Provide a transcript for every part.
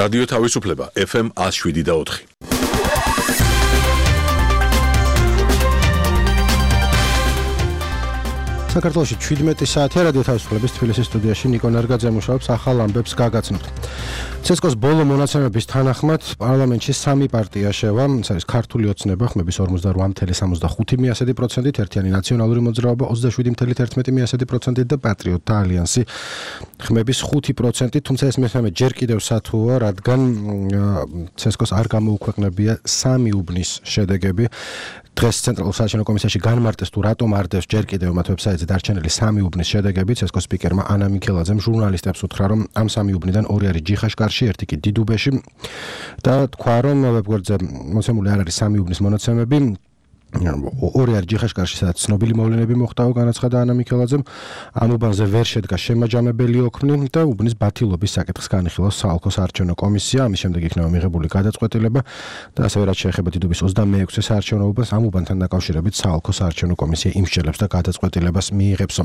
რადიო თავისუფლება FM 107.4. საქართველოში 17 საათია რადიო თავისუფლების თბილისის სტუდიაში ნიკო ნარგაძე მუშაობს ახალ ამბებს გაგაცნობთ. ცესკოს ბოლო მონაცემების თანახმად პარლამენტში 3 პარტია შევა, ეს არის ქართული ოცნება ხმების 48.65%, ერთიანი ნაციონალური მოძრაობა 27.11% და პატრიოტთა ალიანსი ხმების 5%, თუმცა ეს მესამე ჯერ კიდევ სათუა, რადგან ცესკოს არ გამოუქვეყნებია 3 უბნის შედეგები. დღეს ცენტრალურ საარჩევნო კომისიაში განმარტეს თუ რატომ არდევს ჯერ კიდევ მათ ვებსაიტზე დარჩენილი 3 უბნის შედეგები. ცესკოს სპიკერმა ანა მიქელაძემ ჟურნალისტებს უთხრა, რომ ამ 3 უბნიდან 2 არის ჯიხაშკარში, ერთი კი დიდუბეში და თქვა, რომ ვებგვერდზე მოცემული არ არის 3 უბნის მონაცემები. 2 არის ჯიხაშკარში, სადაც ცნობილი მოვლენები მოხდაო, განაცხადა ანა მიქელაძემ. ამ უბანზე ვერ შედგა შემაჯამებელი ოქმნი და უბნის ბათილობის საკითხს განიხილავს საალქო საარჩევნო კომისია. ამის შემდეგ იქნება მიღებული გადაწყვეტილება და ასევე რაც შეეხება დიდუბის 26-ე საარჩევნო უბანს, ამ უბანთან დაკავშირებით საალქო საარჩევნო კომისია იმსჯელებს და გადაწყვეტილებას მიიღებსო.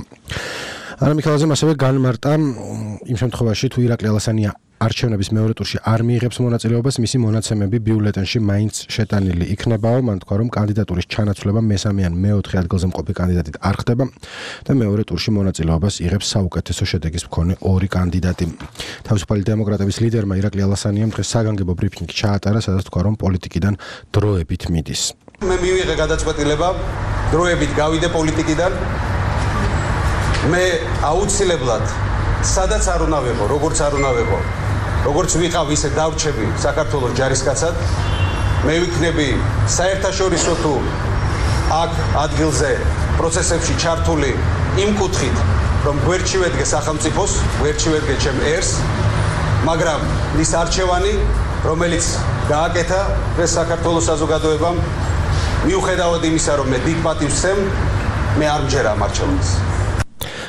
ანა მიქელაძემ ასევე განმარტა იმ შემთხვევაში თუ ირაკლი ალასანია არჩევნების მეორე ტურში არ მიიღებს მონაწილეობას, მისი მონაცემები ბიულეტენში მაინც შეტანილი იქნებაო. მან თქვა, რომ კანდიდატურის ჩანაცვლება მესამე ან მეოთხე ადგილზე მყოფი კანდიდატით არ ხდება და მეორე ტურში მონაწილეობას იღებს საუკეთესო შედეგის მქონე 2 კანდიდატი. თავისუფალი დემოკრატების ლიდერმა ირაკლი ალასანიამ დღეს საგანგებო ბრიფინგი ჩაატარა, სადაც თქვა, რომ პოლიტიკიდან დროებით მიდის. მე მივიღე გადაწყვეტილება დროებით გავიდე პოლიტიკიდან. მე აუცილებლად სადაც არ უნდა ვიყო, როგორც არ უნდა ვიყო, როგორც ვიყავ ისე დავრჩები საქართველოს ჯარისკაცად. მე ვიქნები საერთაშორისო თუ აქ ადგილზე პროცესებში ჩართული იმ კუთხით, რომ გვერდში ვედგე სახელმწიფოს, გვერდში ვედგე ჩემ ერს, მაგრამ ის არჩევანი, რომელიც გააკეთა ეს საქართველოს საზოგადოებამ, მიუხედავად იმისა, რომ მე დიდ პატივს ვცემ, მე არ მჯერა ამ არჩევანს.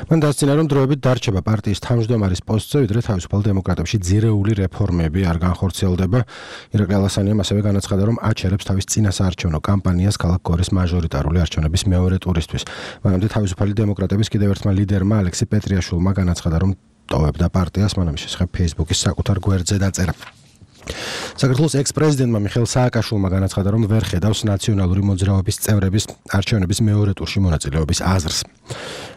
მან დასწინა, რომ დროებით დარჩება პარტიის თავმჯდომარის პოსტზე, ვიდრე თავისუფალ დემოკრატებში ძირეული რეფორმები არ განხორციელდება. ირაკლი ალასანიამ ასევე განაცხადა, რომ აჩერებს თავის წინასაარჩევნო კამპანიას ქალაქ გორის მაჟორიტარული არჩევნების მეორე ტურისთვის. მანამდე თავისუფალი დემოკრატების კიდევ ერთმა ლიდერმა ალექსი პეტრიაშვილმა განაცხადა, რომ ტოვებდა პარტიას, მან ამის შესახებ Facebook-ის საკუთარ გვერდზე დაწერა. საქართველოს ექს-პრეზიდენტმა მიხეილ სააკაშვილმა განაცხადა, რომ ვერ ხედავს ნაციონალური მოძრაობის წევრების არჩევნების მეორე ტურში მონაწილეობის აზრს.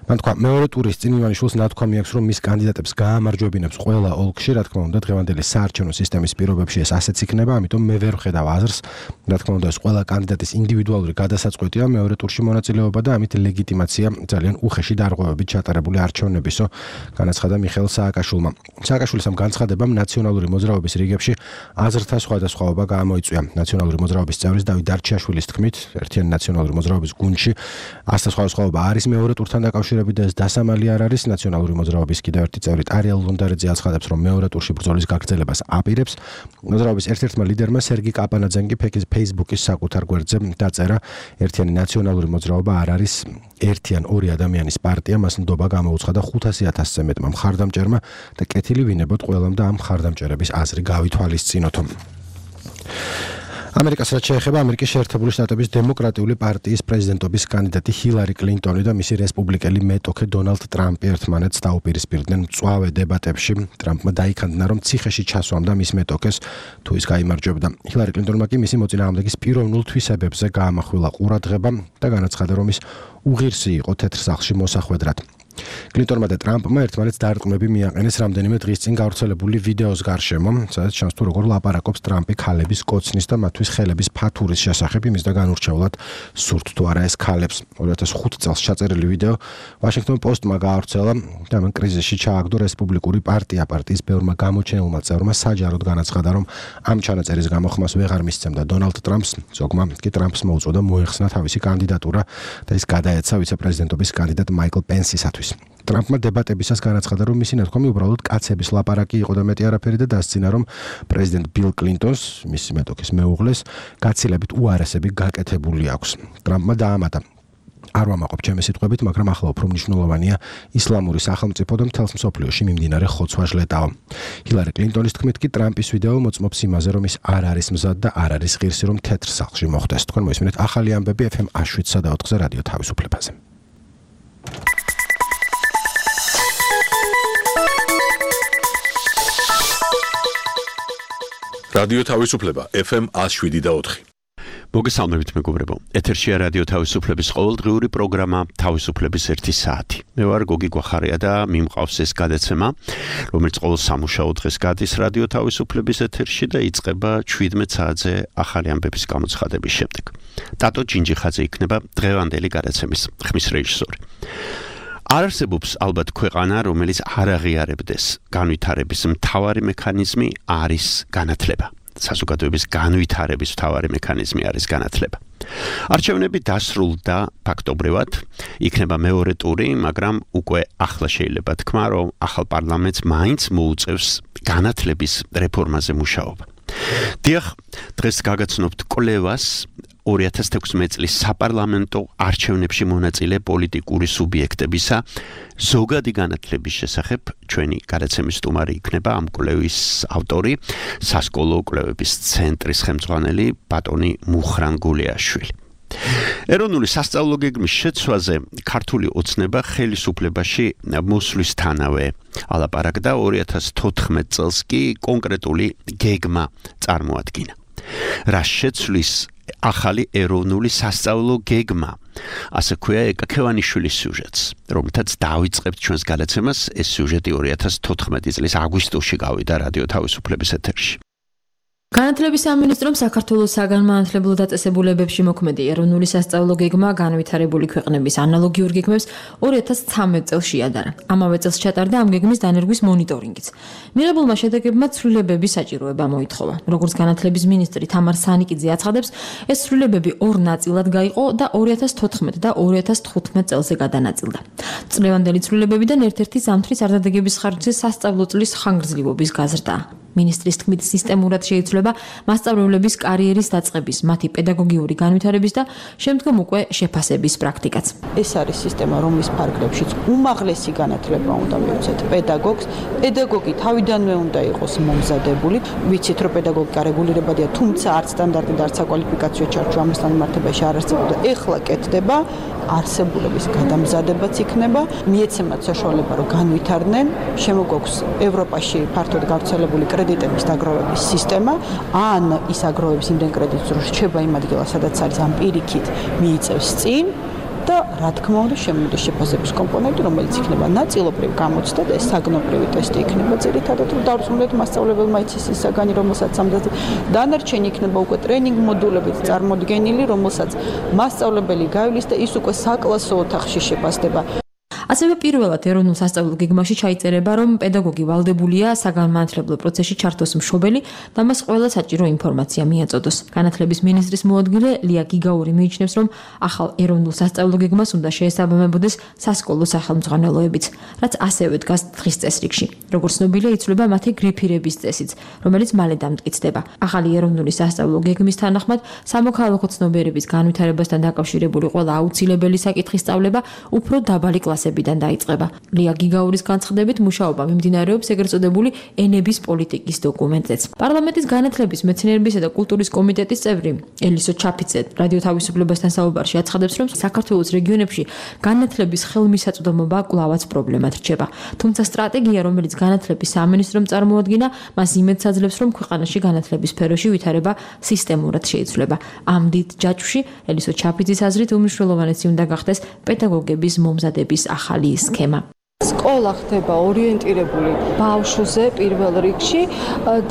მან თქვა, მეორე ტურის წინ ივანიშვილს ნათქვამი აქვს, რომ მის კანდიდატებს გაამარჯვებინებს ყველა ოლქში, რა თქმა უნდა, დღევანდელი საარჩევნო სისტემის პირობებში ეს ასეც იქნება, ამიტომ მე ვერ ხედავ აზრს. რა თქმა უნდა, ეს ყველა კანდიდატის ინდივიდუალური გადასაწყვეტია მეორე ტურში მონაწილეობა და ამით ლეგიტიმაცია ძალიან უხეში დარღვევებით ჩატარებული არჩევნებისო, განაცხადა მიხეილ სააკაშვილმა. სააკაშვილის ამ განცხადებამ ნაციონალური მოძრაობის რიგებში აზრთა სხვადასხვაობა გამოიწვია. ნაციონალური მოძრაობის წევრის დავით დარჩიაშვილის თქმით, ერთიანი ნაციონალური მოძრაობის გუნდში აზრთა სხვადასხვაობა არის მეორე ტურთან დაკავშირებით და ეს დასამალი არ არის. ნაციონალური მოძრაობის კიდევ ერთი წევრი ტარიელ ლონდარეძე აცხადებს, რომ მეორე ტურში ბრძოლის გაგრძელებას აპირებს. მოძრაობის ერთ-ერთმა ლიდერმა სერგი კაპანაძემ კი Facebook-ის საკუთარ გვერდზე დაწერა, ერთიანი ნაციონალური მოძრაობა არ არის ერთი ან ორი ადამიანის პარტია, მას ნდობა გამოუცხადა 500,000-ზე მეტმა მხარდამჭერმა და კეთილი ვინებოთ ყველამ და ამ მხარდამჭერების აზრი გავითვალისწინოთო. ამერიკას რაც შეეხება, ამერიკის შეერთებული შტატების დემოკრატიული პარტიის პრეზიდენტობის კანდიდატი ჰილარი კლინტონი და მისი რესპუბლიკელი მეტოქე დონალდ ტრამპი ერთმანეთს დაუპირისპირდნენ მწვავე დებატებში. ტრამპმა დაიქანდნა, რომ ციხეში ჩასვამდა მის მეტოქეს, თუ ის გაიმარჯვებდა. ჰილარი კლინტონმა კი მისი მოწინააღმდეგის პიროვნულ თვისებებზე გაამახვილა ყურადღება და განაცხადა, რომ ის უღირსი იყო თეთრ სახლში მოსახვედრად. კლინტონმა და ტრამპმა ერთმანეთს დარწმუნები მიაყენეს რამდენიმე დღის წინ გავრცელებული ვიდეოს გარშემო, სადაც ჩანს თუ როგორ ლაპარაკობს ტრამპი ქალების კოცნის და მათთვის ხელების ფათურის შესახებ, იმის და განურჩევლად სურთ თუ არა ეს ქალებს. 2005 წელს ჩაწერილი ვიდეო ვაშინგტონ პოსტმა გაავრცელა და მან კრიზისში ჩააგდო რესპუბლიკური პარტია. პარტიის ბევრმა გამოჩენილმა წევრმა საჯაროდ განაცხადა, რომ ამ ჩანაწერის გამოხმას ვეღარ მისცემდა დონალდ ტრამპს, ზოგმა კი ტრამპს მოუწოდა მოეხსნა თავისი კანდიდატურა და ის გადაეცა ვიცე-პრეზიდენტობის კანდიდატ მაიკლ პენსისათვის. ტრამპმა დებატებისას განაცხადა, რომ მისი ნათქვამი უბრალოდ კაცების ლაპარაკი იყო და მეტი არაფერი და დასცინა, რომ პრეზიდენტ ბილ კლინტონს, მისი მეტოქის მეუღლეს, გაცილებით უარესები გაკეთებული აქვს. ტრამპმა დაამატა, არ ვამაყობ ჩემი სიტყვებით, მაგრამ ახლა უფრო მნიშვნელოვანია ისლამური სახელმწიფო და მთელს მსოფლიოში მიმდინარე ხოცვა-ჟლეტაო. ჰილარი კლინტონის თქმით კი ტრამპის ვიდეო მოწმობს იმაზე, რომ ის არ არის მზად და არ არის ღირსი, რომ თეთრ სახლში მოხდეს. თქვენ მოისმინეთ ახალი ამბები FM 107.4-ზე რადიო თავისუფლებაზე. რადიო თავისუფლება FM 107.4. მოგესალმებით მეგობრებო. ეთერშია რადიო თავისუფლების ყოველდღიური პროგრამა თავისუფლების 1 საათი. მე ვარ გოგი გვახარია და მიმყავს ეს გადაცემა, რომელიც ყოველ სამუშაო დღეს გადის რადიო თავისუფლების ეთერში და იწყება 17 საათზე ახალი ამბების გამოცხადების შემდეგ. ტატო ჯინჯიხაძე იქნება დღევანდელი გადაცემის ხმის რეჟისორი. არ არსებობს ალბათ ქვეყანა, რომელიც არ აღიარებდეს განვითარების მთავარი მექანიზმი არის განათლება. საზოგადოების განვითარების მთავარი მექანიზმი არის განათლება. არჩევნები დასრულდა ფაქტობრივად, იქნება მეორე ტური, მაგრამ უკვე ახლა შეიძლება თქვა, რომ ახალ პარლამენტს მაინც მოუწევს განათლების რეფორმაზე მუშაობა. დიახ, დღეს გაგაცნობთ კვლევას 2016 წლის საპარლამენტო არჩევნებში მონაწილე პოლიტიკური სუბიექტებისა ზოგადი განათლების შესახებ. ჩვენი გადაცემის სტუმარი იქნება ამ კვლევის ავტორი, სასკოლო კვლევების ცენტრის ხელმძღვანელი ბატონი მუხრან გულიაშვილი. ეროვნული სასწავლო გეგმის შეცვლაზე ქართული ოცნება ხელისუფლებაში მოსვლისთანავე ალაპარაკდა 2014 წელს კი კონკრეტული გეგმა წარმოადგინა. რა შეცვლის ახალი ეროვნული სასწავლო გეგმა, ასე ქვია ეკაქევანიშვილის სიუჟეტს, რომელთაც დავიწყებთ ჩვენს გადაცემას. ეს სიუჟეტი 2014 წლის აგვისტოში გავიდა რადიო თავისუფლების ეთერში. განათლების სამინისტრომ საქართველოს საგანმანათლებლო დაწესებულებებში მოქმედი ეროვნული სასწავლო გეგმა განვითარებული ქვეყნების ანალოგიურ გეგმებს 2013 წელს შეადარა. ამავე წელს ჩატარდა ამ გეგმის დანერგვის მონიტორინგიც. მიღებულმა შედეგებმა ცვლილებების საჭიროება მოითხოვა. როგორც განათლების მინისტრი თამარ სანიკიძე აცხადებს, ეს ცვლილებები ორ ნაწილად გაიყო და 2014 და 2015 წელზე გადანაწილდა. წლევანდელი ცვლილებებიდან ერთ-ერთი ზამთრის არდადეგების ხარჯზე სასწავლო წლის ხანგრძლივობის გაზრდაა. მინისტრის თქმით, სისტემურად შეიცვლება მასწავლებლების კარიერის დაწყების, მათი პედაგოგიური განვითარების და შემდგომ უკვე შეფასების პრაქტიკაც. ეს არის სისტემა, რომლის ფარგლებშიც უმაღლესი განათლება უნდა მიუწევთ პედაგოგს. პედაგოგი თავიდანვე უნდა იყოს მომზადებული. ვიცით, რომ პედაგოგიკა რეგულირებადია, თუმცა არც სტანდარტი და არც საკვალიფიკაციო ჩარჩო ამასთან მიმართებაში არ არსებობდა. ეხლა კეთდება, არსებულების გადამზადებაც იქნება, მიეცემათ საშუალება, რომ განვითარდნენ. შემოგვაქვს ევროპაში ფართოდ გავრცელებული კრედიტების დაგროვების სისტემა, ან ის აგროვებს იმდენ კრედიტს, რომ რჩება იმ ადგილას, სადაც არის, ამ პირიქით მიიწევს წინ და რა თქმა უნდა შემოდის შეფასების კომპონენტი, რომელიც იქნება ნაწილობრივ გამოცდა და ეს საგნობრივი ტესტი იქნება ძირითადად, რომ დავრწმუნდეთ მასწავლებელმა იცის ის საგანი, რომელსაც ამდაზე დანარჩენი იქნება უკვე ტრენინგ მოდულებით წარმოდგენილი, რომელსაც მასწავლებელი გავლის და ის უკვე საკლასო ოთახში შეფასდება. ასევე პირველად ეროვნულ სასწავლო გეგმაში ჩაიწერება, რომ პედაგოგი ვალდებულია საგანმანათლებლო პროცესში ჩართოს მშობელი და მას ყველა საჭირო ინფორმაცია მიაწოდოს. განათლების მინისტრის მოადგილე ლია გიგაური მიიჩნევს, რომ ახალ ეროვნულ სასწავლო გეგმას უნდა შეესაბამებოდეს სასკოლო სახელმძღვანელოებიც, რაც ასევე დგას დღის წესრიგში. როგორც ცნობილია, იცვლება მათი გრიფირების წესიც, რომელიც მალე დამტკიცდება. ახალი ეროვნული სასწავლო გეგმის თანახმად სამოქალაქო ცნობიერების განვითარებასთან დაკავშირებული ყველა აუცილებელი საკითხის სწავლება უფრო დაბალი კლასები დაიწყება. ლია გიგაურის განცხადებით, მუშაობა მიმდინარეობს ეგრეთ წოდებული ენების პოლიტიკის დოკუმენტზეც. პარლამენტის განათლების, მეცნიერებისა და კულტურის კომიტეტის წევრი ელისო ჩაფიცე რადიო თავისუფლებასთან საუბარში აცხადებს, რომ საქართველოს რეგიონებში განათლების ხელმისაწვდომობა კვლავაც პრობლემად რჩება. თუმცა სტრატეგია, რომელიც განათლების სამინისტრომ წარმოადგინა, მას იმედს აძლევს, რომ ქვეყანაში განათლების სფეროში ვითარება სისტემურად შეიცვლება. ამ დიდ ჯაჭვში ელისო ჩაფიცის აზრით უმნიშვნელოვანესი უნდა გახდეს პედაგოგების მომზადების ახალი სქემა. სკოლა ხდება ორიენტირებული ბავშვზე პირველ რიგში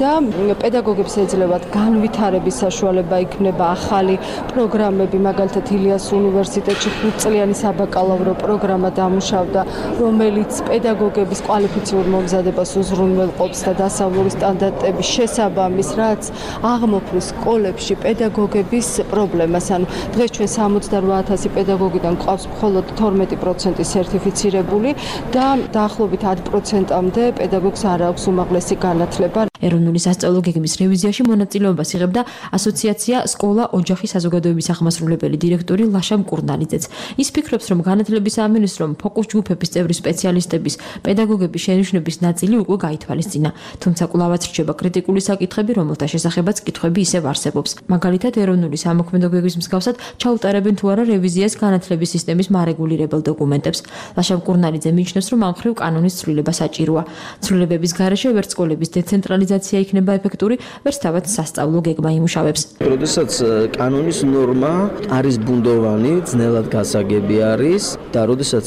და პედაგოგებს ეძლევათ განვითარების საშუალება, იქნება ახალი პროგრამები, მაგალითად ილიას უნივერსიტეტში 5 წლიანი საბაკალავრო პროგრამა დამუშავდა, რომელიც პედაგოგების კვალიფიციურ მომზადებას უზრუნველყოფს და დასავლური სტანდარტების შესაბამის, რაც აღმოფხრის სკოლებში პედაგოგების პრობლემას. ანუ დღეს ჩვენ 68,000 პედაგოგიდან გვყავს მხოლოდ 12% სერტიფიცირებული და დაახლოებით 10%-მდე პედაგოგს არ აქვს უმაღლესი განათლება. ეროვნული სასწავლო გეგმის რევიზიაში მონაწილეობას იღებდა ასოციაცია სკოლა ოჯახი საზოგადოების ახმასრულებელი დირექტორი ლაშა მკურნალიძეც. ის ფიქრობს, რომ განათლების სამინისტრომ ფოკუს ჯგუფების წევრი სპეციალისტების, პედაგოგების შენიშვნების ნაწილი უკვე გაითვალისწინა. თუმცა კვლავაც რჩება კრიტიკული საკითხები, რომელთა შესახებაც კითხვები ისევ არსებობს. მაგალითად, ეროვნული სამოქმედო გეგმის მსგავსად ჩაუტარებენ თუ არა რევიზიას განათლების სისტემის მარეგულირებელ დოკუმენტებს. ლაშა მკურნალიძე მიიჩნევს, რომ ამ მხრივ კანონის ცვლილება საჭიროა. ცვლილებების გარეშე ვერც სკოლების დეცენტრალიზაცია ლეგალიზაცია იქნება ეფექტური, ვერც თავად სასწავლო გეგმა იმუშავებს. როდესაც კანონის ნორმა არის ბუნდოვანი, ძნელად გასაგები არის და როდესაც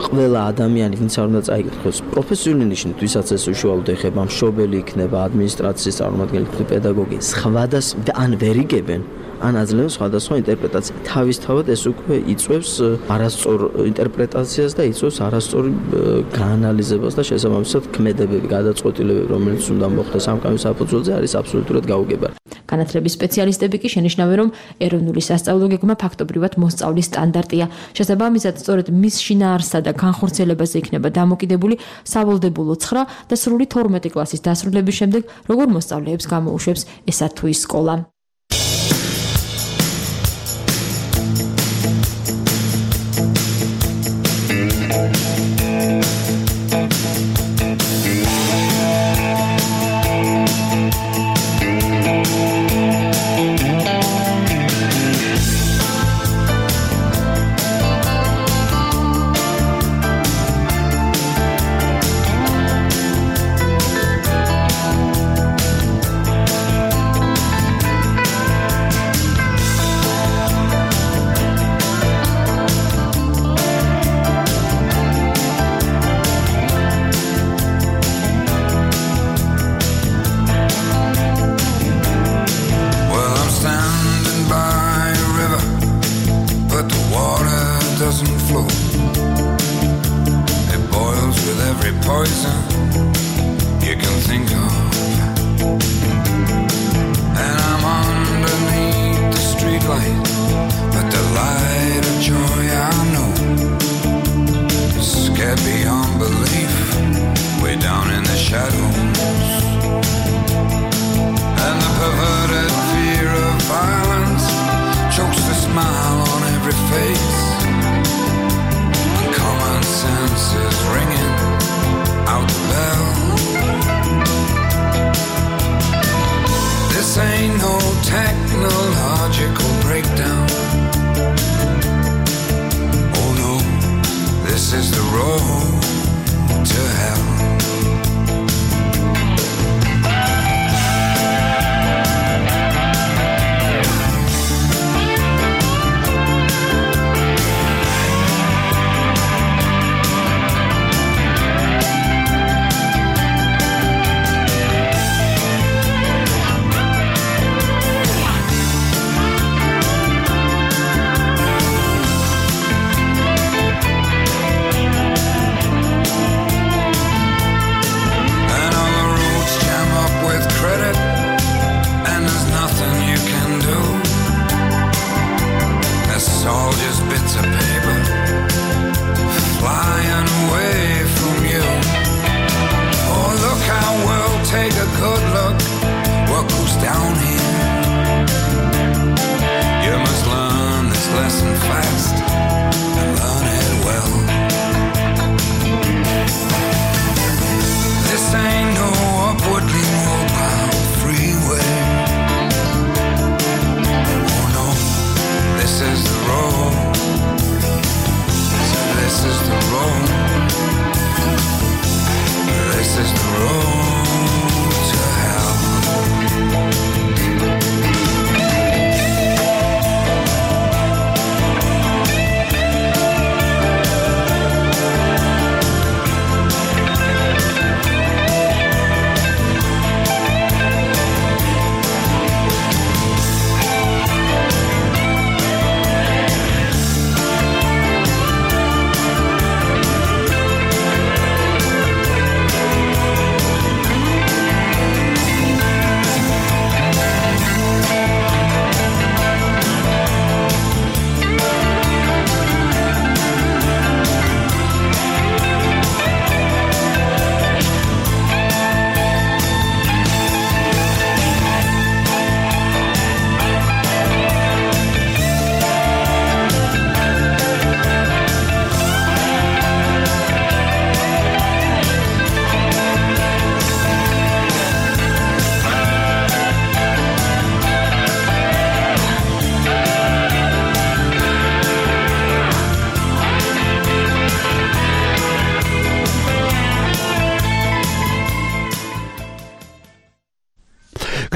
ყველა ადამიანი, ვინც არ უნდა წაიკითხოს პროფესიული ნიშნით, ვისაც ეს უშუალოდ ეხება, მშობელი იქნება, ადმინისტრაციის წარმომადგენელი იქნება, პედაგოგი, სხვადასხვა ან ვერ იგებენ ან აძლევენ სხვადასხვა ინტერპრეტაცია. თავისთავად ეს უკვე იწვევს არასწორ ინტერპრეტაციას და იწვევს არასწორ გაანალიზებას და შესაბამისად ქმედებები, გადაწყვეტილებები, რომელიც უნდა მოხდეს ამ კანონის საფუძველზე, არის აბსოლუტურად გაუგებარი. განათლების სპეციალისტები კი შენიშნავენ, რომ ეროვნული სასწავლო გეგმა ფაქტობრივად მოსწავლის სტანდარტია. შესაბამისად, სწორედ მის შინაარსსა და განხორციელებაზე იქნება დამოკიდებული სავალდებულო 9 და სრული 12 კლასის დასრულების შემდეგ, როგორ მოსწავლეებს გამოუშვებს ესა თუ ის სკოლა.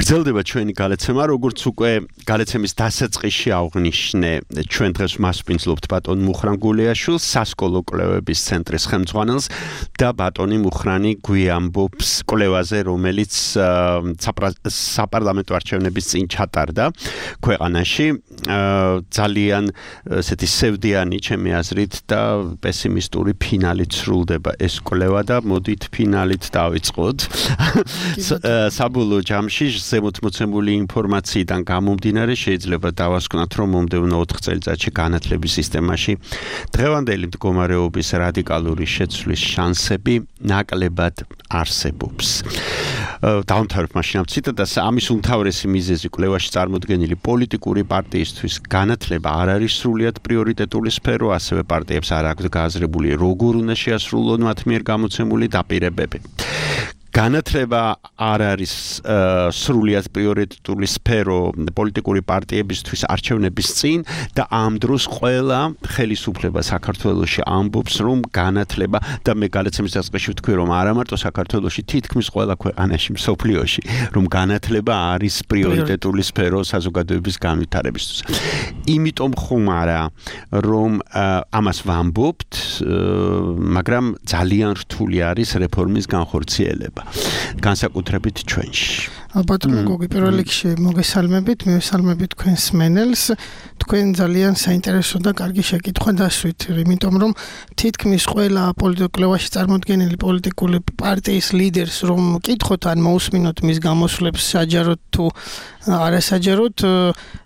გრძელდება ჩვენი გალეცემა, როგორც უკვე გალეცემის დასაწყისში აღნიშნე, ჩვენ დღეს მასპინძლობთ ბატონ მუხრან გულეაშვილს, სასკოლო კვლევების ცენტრის ხელმძღვანელს და ბატონი მუხრანი გვიამბობს კვლევაზე, რომელიც საპარლამენტო არჩევნების წინ ჩატარდა ქვეყანაში. ძალიან ესეთი სევდიანი ჩემი აზრით და პესიმისტური ფინალით სრულდება ეს კვლევა და მოდით ფინალით დავიწყოთ. საბოლოო ჯამში ზემოთმოცემული ინფორმაციიდან გამომდინარე შეიძლება დავასკვნათ, რომ მომდევნო 4 წელიწადში განათლების სისტემაში დღევანდელი მდგომარეობის რადიკალური შეცვლის შანსები ნაკლებად არსებობს. დავამთავრებ მაშინ ამ ციტატას. ამის უმთავრესი მიზეზი კვლევაში წარმოდგენილი პოლიტიკური პარტიისთვის განათლება არ არის სრულიად პრიორიტეტული სფერო, ასევე პარტიებს არ აქვთ გააზრებული როგორ უნდა შეასრულონ მათ მიერ გამოცემული დაპირებები. განათლება არ არის სრულიად პრიორიტეტული სფერო პოლიტიკური პარტიებისთვის არჩევნების წინ და ამ დროს ყველა ხელისუფლება საქართველოში ამბობს, რომ განათლება და მე გალეცემის დასაწყისში ვთქვი, რომ არა მარტო საქართველოში, თითქმის ყველა ქვეყანაში მსოფლიოში, რომ განათლება არის პრიორიტეტული სფერო საზოგადოების განვითარებისთვის. იმიტომ ხომ არა, რომ ამას ვამბობთ, მაგრამ ძალიან რთული არის რეფორმის განხორციელება. განსაკუთრებით ჩვენში. ბატონო გოგი, პირველ რიგში მოგესალმებით, მივესალმებით თქვენს მენელს. თქვენ ძალიან საინტერესო და კარგი შეკითხვა დასვით, იმიტომ რომ თითქმის ყველა პოლიტიკურ კვლევაში წარმოდგენილი პოლიტიკური პარტიის ლიდერს რომ კითხოთ ან მოусმინოთ მის გამოსვლებს საჯაროდ თუ არასაჯაროდ,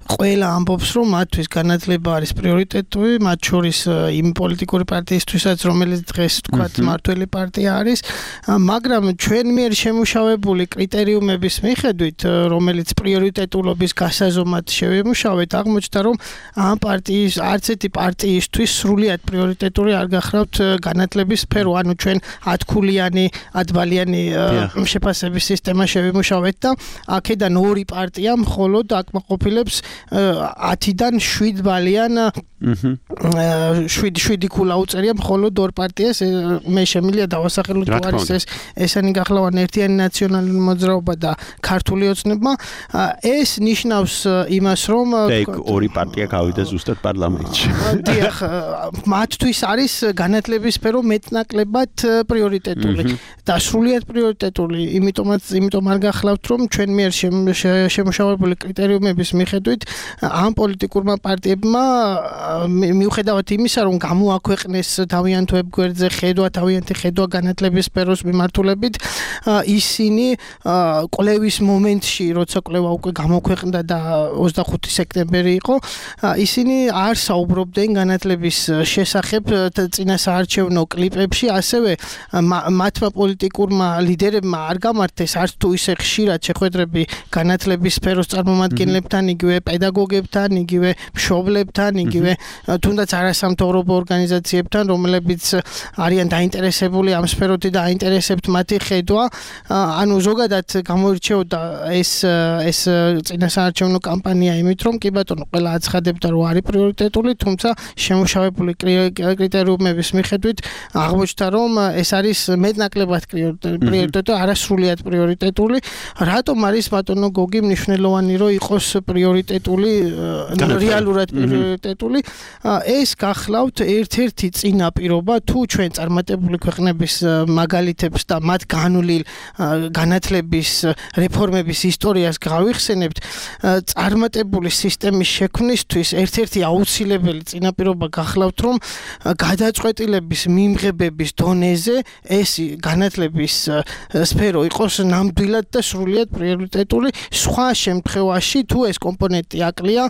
ყველა ამბობს, რომ მათთვის განათლება არის პრიორიტეტული, მათ შორის იმ პოლიტიკური პარტიისთვისაც, რომელიც დღეს თქვათ მართველი პარტია არის, მაგრამ ჩვენ მიერ შემუშავებული კრიტერიუმების მიხედვით, რომელიც პრიორიტეტულობის გასაზომად შევიმუშავეთ, აღმოჩნდა, რომ ამ პარტიის არც ერთი პარტიისთვის სრულიად პრიორიტეტული არ გახლავთ განათლების სფერო, ანუ ჩვენ 10-ქულიანი, 10-ბალიანი შეფასების სისტემა შევიმუშავეთ და აქედან ორი პარტია მხოლოდ აკმაყოფილებს 10-დან 7 ბალიან 7 ქულა უწერია მხოლოდ ორ პარტიას. მე შემიძლია დავასახელო თუ არის ესენი გახლავან ერთიანი ნაციონალური მოძრაობა და ქართული ოცნება. ეს ნიშნავს იმას, რომ ორი პარტია გავიდა ზუსტად პარლამენტში. დიახ, მათთვის არის განათლების სფერო მეტნაკლებად პრიორიტეტული და სრულიად პრიორიტეტული, იმიტომ არ გახლავთ, რომ ჩვენ მიერ შემუშავებული კრიტერიუმების მიხედვით ამ პოლიტიკურმა პარტიებმა მიუხედავად იმისა, რომ გამოაქვეყნეს თავიანთ ვებგვერდზე თავიანთი ხედვა განათლების სფეროს მიმართულებით, ისინი კვლევის მომენტში, როცა კვლევა უკვე გამოქვეყნდა და 25 სექტემბერი იყო, ისინი არ საუბრობდნენ განათლების შესახებ წინასაარჩევნო კლიპებში, ასევე მათმა პოლიტიკურმა ლიდერებმა არ გამართეს არც თუ ისე ხშირად შეხვედრები განათლების სფეროს წარმომადგენლებთან, იგივე პედაგოგებთან, იგივე მშობლებთან, იგივე თუნდაც არასამთავრობო ორგანიზაციებთან, რომლებიც არიან დაინტერესებული ამ სფეროთი და აინტერესებთ მათი ხედვა. ანუ ზოგადად გამოირჩეოდა ეს წინასაარჩევნო კამპანია იმით, რომ კი ბატონო, ყველა აცხადებდა, რომ არის პრიორიტეტული, თუმცა შემუშავებული კრიტერიუმების მიხედვით აღმოჩნდა, რომ ეს არის მეტნაკლებად პრიორიტეტული, არასრულიად პრიორიტეტული. რატომ არის ბატონო გოგი მნიშვნელოვანი, რომ იყოს პრიორიტეტული, რეალურად პრიორიტეტული? ეს გახლავთ ერთ-ერთი წინაპირობა, თუ ჩვენ წარმატებული ქვეყნების მაგალითებს და მათ განვლილ განათლების რეფორმების ისტორიას გავიხსენებთ, წარმატებული სისტემის შექმნისთვის ერთ-ერთი აუცილებელი წინაპირობა გახლავთ, რომ გადაწყვეტილების მიმღებების დონეზე ეს განათლების სფერო იყოს ნამდვილად და სრულიად პრიორიტეტული. სხვა შემთხვევაში თუ ეს კომპონენტი აკლია,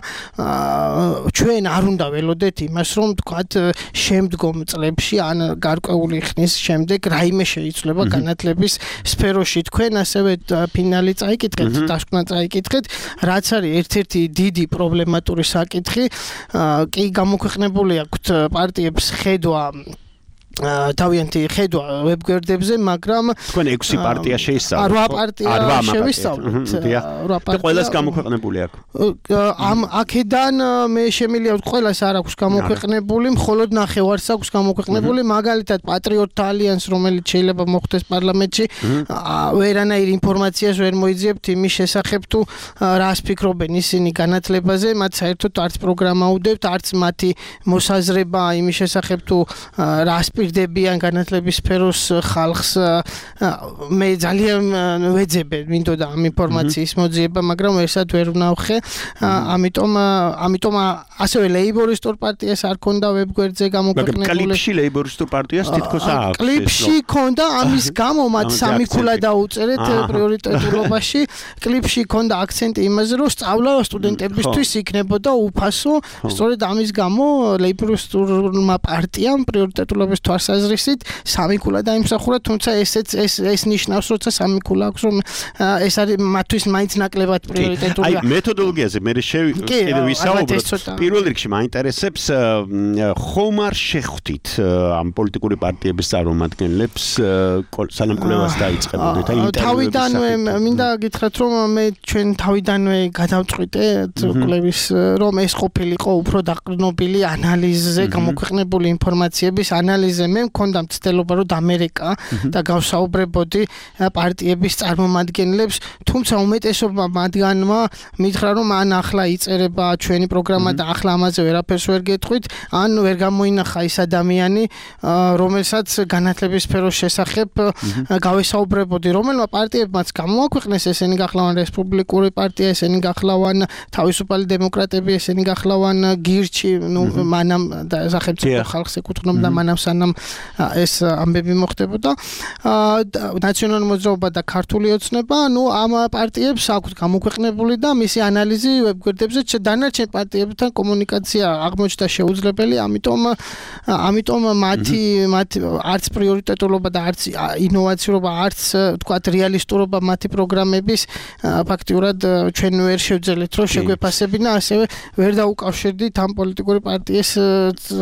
ჩვენ არ უნდა ველოდეთ იმას, რომ თქვათ შემდგომ წლებში ან გარკვეული ხნის შემდეგ რაიმე შეიცვლება განათლების სფეროში. თქვენ ასევე ფინალი წაიკითხეთ, დასკვნა წაიკითხეთ, რაც არის ერთ-ერთი დიდი პრობლემატური საკითხი. კი გამოქვეყნებული აქვთ პარტიებს ხედვა თავიანთი ხედვა ვებგვერდებზე, მაგრამ თქვენ 6 პარტია შეისწავლეთ. 8 პარტია შევისწავლეთ. 8 პარტია. ყველას გამოქვეყნებული აქვს. ამ აქედან მე შემიძლია ვთქვი, ყველას არ აქვს გამოქვეყნებული, მხოლოდ ნახევარს აქვს გამოქვეყნებული, მაგალითად პატრიოტთა ალიანს, რომელიც შეიძლება მოხდეს პარლამენტში, ვერანაირ ინფორმაციას ვერ მოიძიებთ იმის შესახებ თუ რას ფიქრობენ ისინი განათლებაზე, მათ საერთოდ არც პროგრამა უდევთ, არც მათი მოსაზრება იმის შესახებ თუ რას პირდებიან განათლების სფეროს ხალხს მე ძალიან ვეძებე მინდოდა ამ ინფორმაციის მოძიება, მაგრამ ერთად ვერ ვნახე. ამიტომ ასევე ლეიბორისტულ პარტიას არ ქონდა ვებგვერდზე გამოქვეყნებული. მაგრამ კლიპში ლეიბორისტულ პარტიას თითქოს აქვს. კლიპში ქონდა ამის გამო მათ სამი ქულა დაუწერეთ პრიორიტეტულობაში. კლიპში ქონდა აქცენტი იმაზე, რომ სწავლა სტუდენტებისთვის იქნებოდა უფასო. სწორედ ამის გამო ლეიბორისტულმა პარტიამ პრიორიტეტულობის თვალსაზრისით სამი ქულა დაიმსახურა, თუმცა ეს ნიშნავს, როცა სამი ქულა აქვს, რომ ეს არის მათთვის მაინც ნაკლებად პრიორიტეტულია. აი მეთოდოლოგიაზე მე კიდევ ვისაუბროთ. პირველ რიგში მაინტერესებს ხომ არ შეხვდით ამ პოლიტიკური პარტიების წარმომადგენლებს სანამ კვლევას დაიწყებოდეთ აი ინტერვიუების. თავიდანვე მინდა გითხრათ, რომ მე ჩვენ თავიდანვე გადავწყვიტეთ კვლევის, რომ ეს ყოფილიყო უფრო დაყრდნობილი ანალიზზე გამოქვეყნებული ინფორმაციების ანალიზზე. მე მქონდა მცდელობა, რომ ამერიკა და გავსაუბრებოდი პარტიების წარმომადგენლებს, თუმცა უმეტესობა მათგანმა მითხრა, რომ ან ახლა იწერება ჩვენი პროგრამა და ახლა ამაზე ვერაფერს ვერ გეტყვით, ან ვერ გამოინახა ის ადამიანი, რომელსაც განათლების სფეროს შესახებ გავესაუბრებოდი, რომელმა პარტიებმაც გამოაქვეყნეს, ესენი გახლავან რესპუბლიკური პარტია, ესენი გახლავან თავისუფალი დემოკრატები, ესენი გახლავან გირჩი, მანამ და სახელმწიფო ხალხს ეკუთვნოდა მანამ სანამ ეს ამბები მოხდებოდა. ნაციონალური მოძრაობა და ქართული ოცნება, ამ პარტიებს აქვთ გამოქვეყნებული და მისი ანალიზი ვებგვერდებზე, დანარჩენ პარტიებთან კომუნიკაცია აღმოჩნდა შეუძლებელი, ამიტომ მათი არც პრიორიტეტულობა და არც ინოვაციურობა, არც თქვათ რეალისტურობა მათი პროგრამების ფაქტიურად ჩვენ ვერ შევძელეთ, რომ შეგვეფასებინა, ასევე ვერ დაუკავშირდით ამ პოლიტიკური პარტიის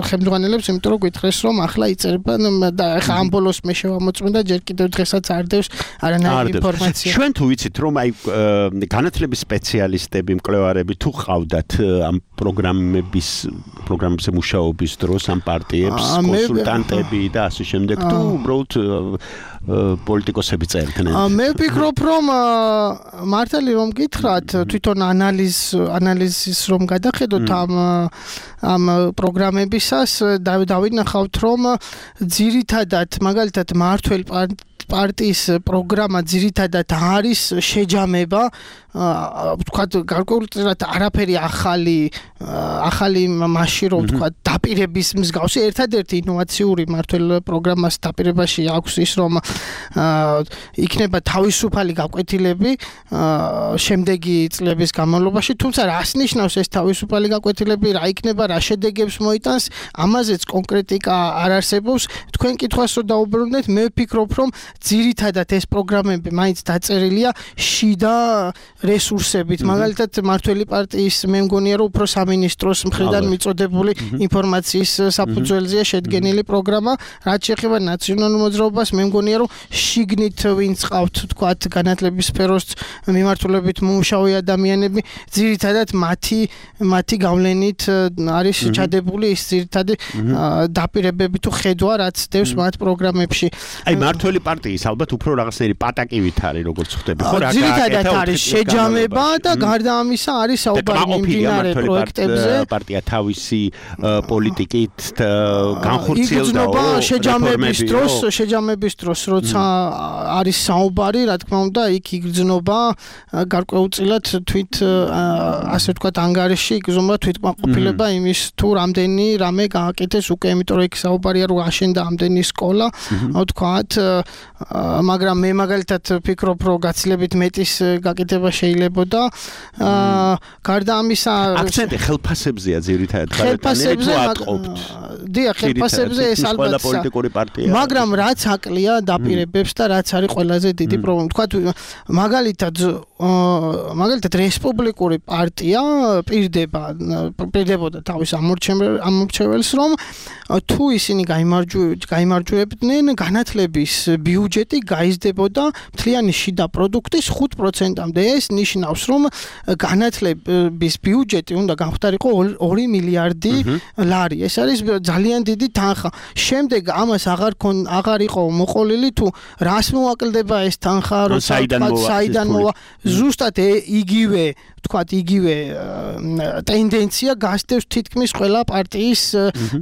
ხელმძღვანელებს, იმიტომ რომ გითხრეს, რომ ახლა იწერება და ახლა ამ ბოლოს მე შევამოწმე და ჯერ კიდევ დღესაც არ დევს არანაირი ინფორმაცია. ჩვენ თუ ვიცით, რომ აი განათლების სპეციალისტები, მკვლევარები თუ ყავდათ ამ პროგრამებზე მუშაობის დროს ამ პარტიებს, კონსულტანტები და ასე შემდეგ, თუ უბრალოდ პოლიტიკოსები წერდნენ. მე ვფიქრობ, რომ მართალი რომ გითხრათ, თვითონ ანალიზის რომ გადახედოთ ამ პროგრამებისას, დავინახავთ, რომ ძირითადად მაგალითად მართველი პარტიის პროგრამა ძირითადად არის შეჯამება, ვთქვათ, გარკვეულწილად არაფერი ახალი მასში, რომ ვთქვათ, დაპირების მსგავსი ერთადერთი ინოვაციური მართველ პროგრამას დაპირებაში აქვს ის, რომ იქნება თავისუფალი გაკვეთილები შემდეგი წლების განმავლობაში, თუმცა რას ნიშნავს ეს თავისუფალი გაკვეთილები, რა იქნება, რა შედეგებს მოიტანს, ამაზეც კონკრეტიკა არ არსებობს. თქვენ კითხვას რო დაუბრუნდეთ, მე ვფიქრობ, რომ ძირითადად ეს პროგრამები მაინც დაწერილია შიდა რესურსებით. მაგალითად, მართველი პარტიის მე მგონია, რომ უფრო სამინისტროს მხრიდან მიწოდებული ინფორმაციის საფუძველზეა შედგენილი პროგრამა. რაც შეეხება ნაციონალურ მოძრაობას, მე მგონია, რომ შიგნით ვინც ყავთ, თქვათ, განათლების სფეროს მიმართულებით მომუშავე ადამიანები, ძირითადად მათი გავლენით არის ჩადებული ის ძირითადი დაპირებები თუ ხედვა, რაც დევს მათ პროგრამებში. აი მართველი პარტიის ალბათ უფრო რაღაცნაირი პატაკივით არის, როგორც ხვდები, ხო რა? ძირითადად არის შეჯამება და გარდა ამისა არის საუბარი მიმდინარე პროექტებზე. პარტია თავისი პოლიტიკით განხორციელდა შეჯამების დროს, როცა არის საუბარი, რა თქმა უნდა, იქ იგრძნობა გარკვეულწილად ასე ვთქვათ, ანგარიში იგრძნობა თვითკმაყოფილება იმის თუ რამდენი რამე გააკეთეს უკვე, იმიტომ რომ იქ საუბარია, რომ აშენდა ამდენი სკოლა, ვთქვათ, მაგრამ მე მაგალითად ვფიქრობ, რომ გაცილებით მეტის გაკეთება შეიძლებოდა. გარდა ამისა, აქცენტი ხელფასებზეა ძირითადად ხარატანები თუ ატყობთ. დიახ, ხელფასებზე ეს ალბათ პოლიტიკური პარტია. მაგრამ რაც აკლია დაპირებებს და რაც არის ყველაზე დიდი პრობლემა. თქვათ მაგალითად რესპუბლიკური პარტია პირდებოდა თავის ამორჩეველს, რომ თუ ისინი გაიმარჯვებდნენ, განათლების ბიუჯეტი გაიზრდებოდა მთლიანი შიდა პროდუქტის 5%-მდე. ეს ნიშნავს, რომ განათლების ბიუჯეტი უნდა გამختارიყო 2 მილიარდი ლარი. ეს არის ძალიან დიდი თანხა. შემდეგ ამას აღარ იყო მოყოლილი თუ რას მოაკლდება ეს თანხა, საიდან მოვა. ზუსტად იგივე ტენდენცია გასდევს თითქმის ყველა პარტიის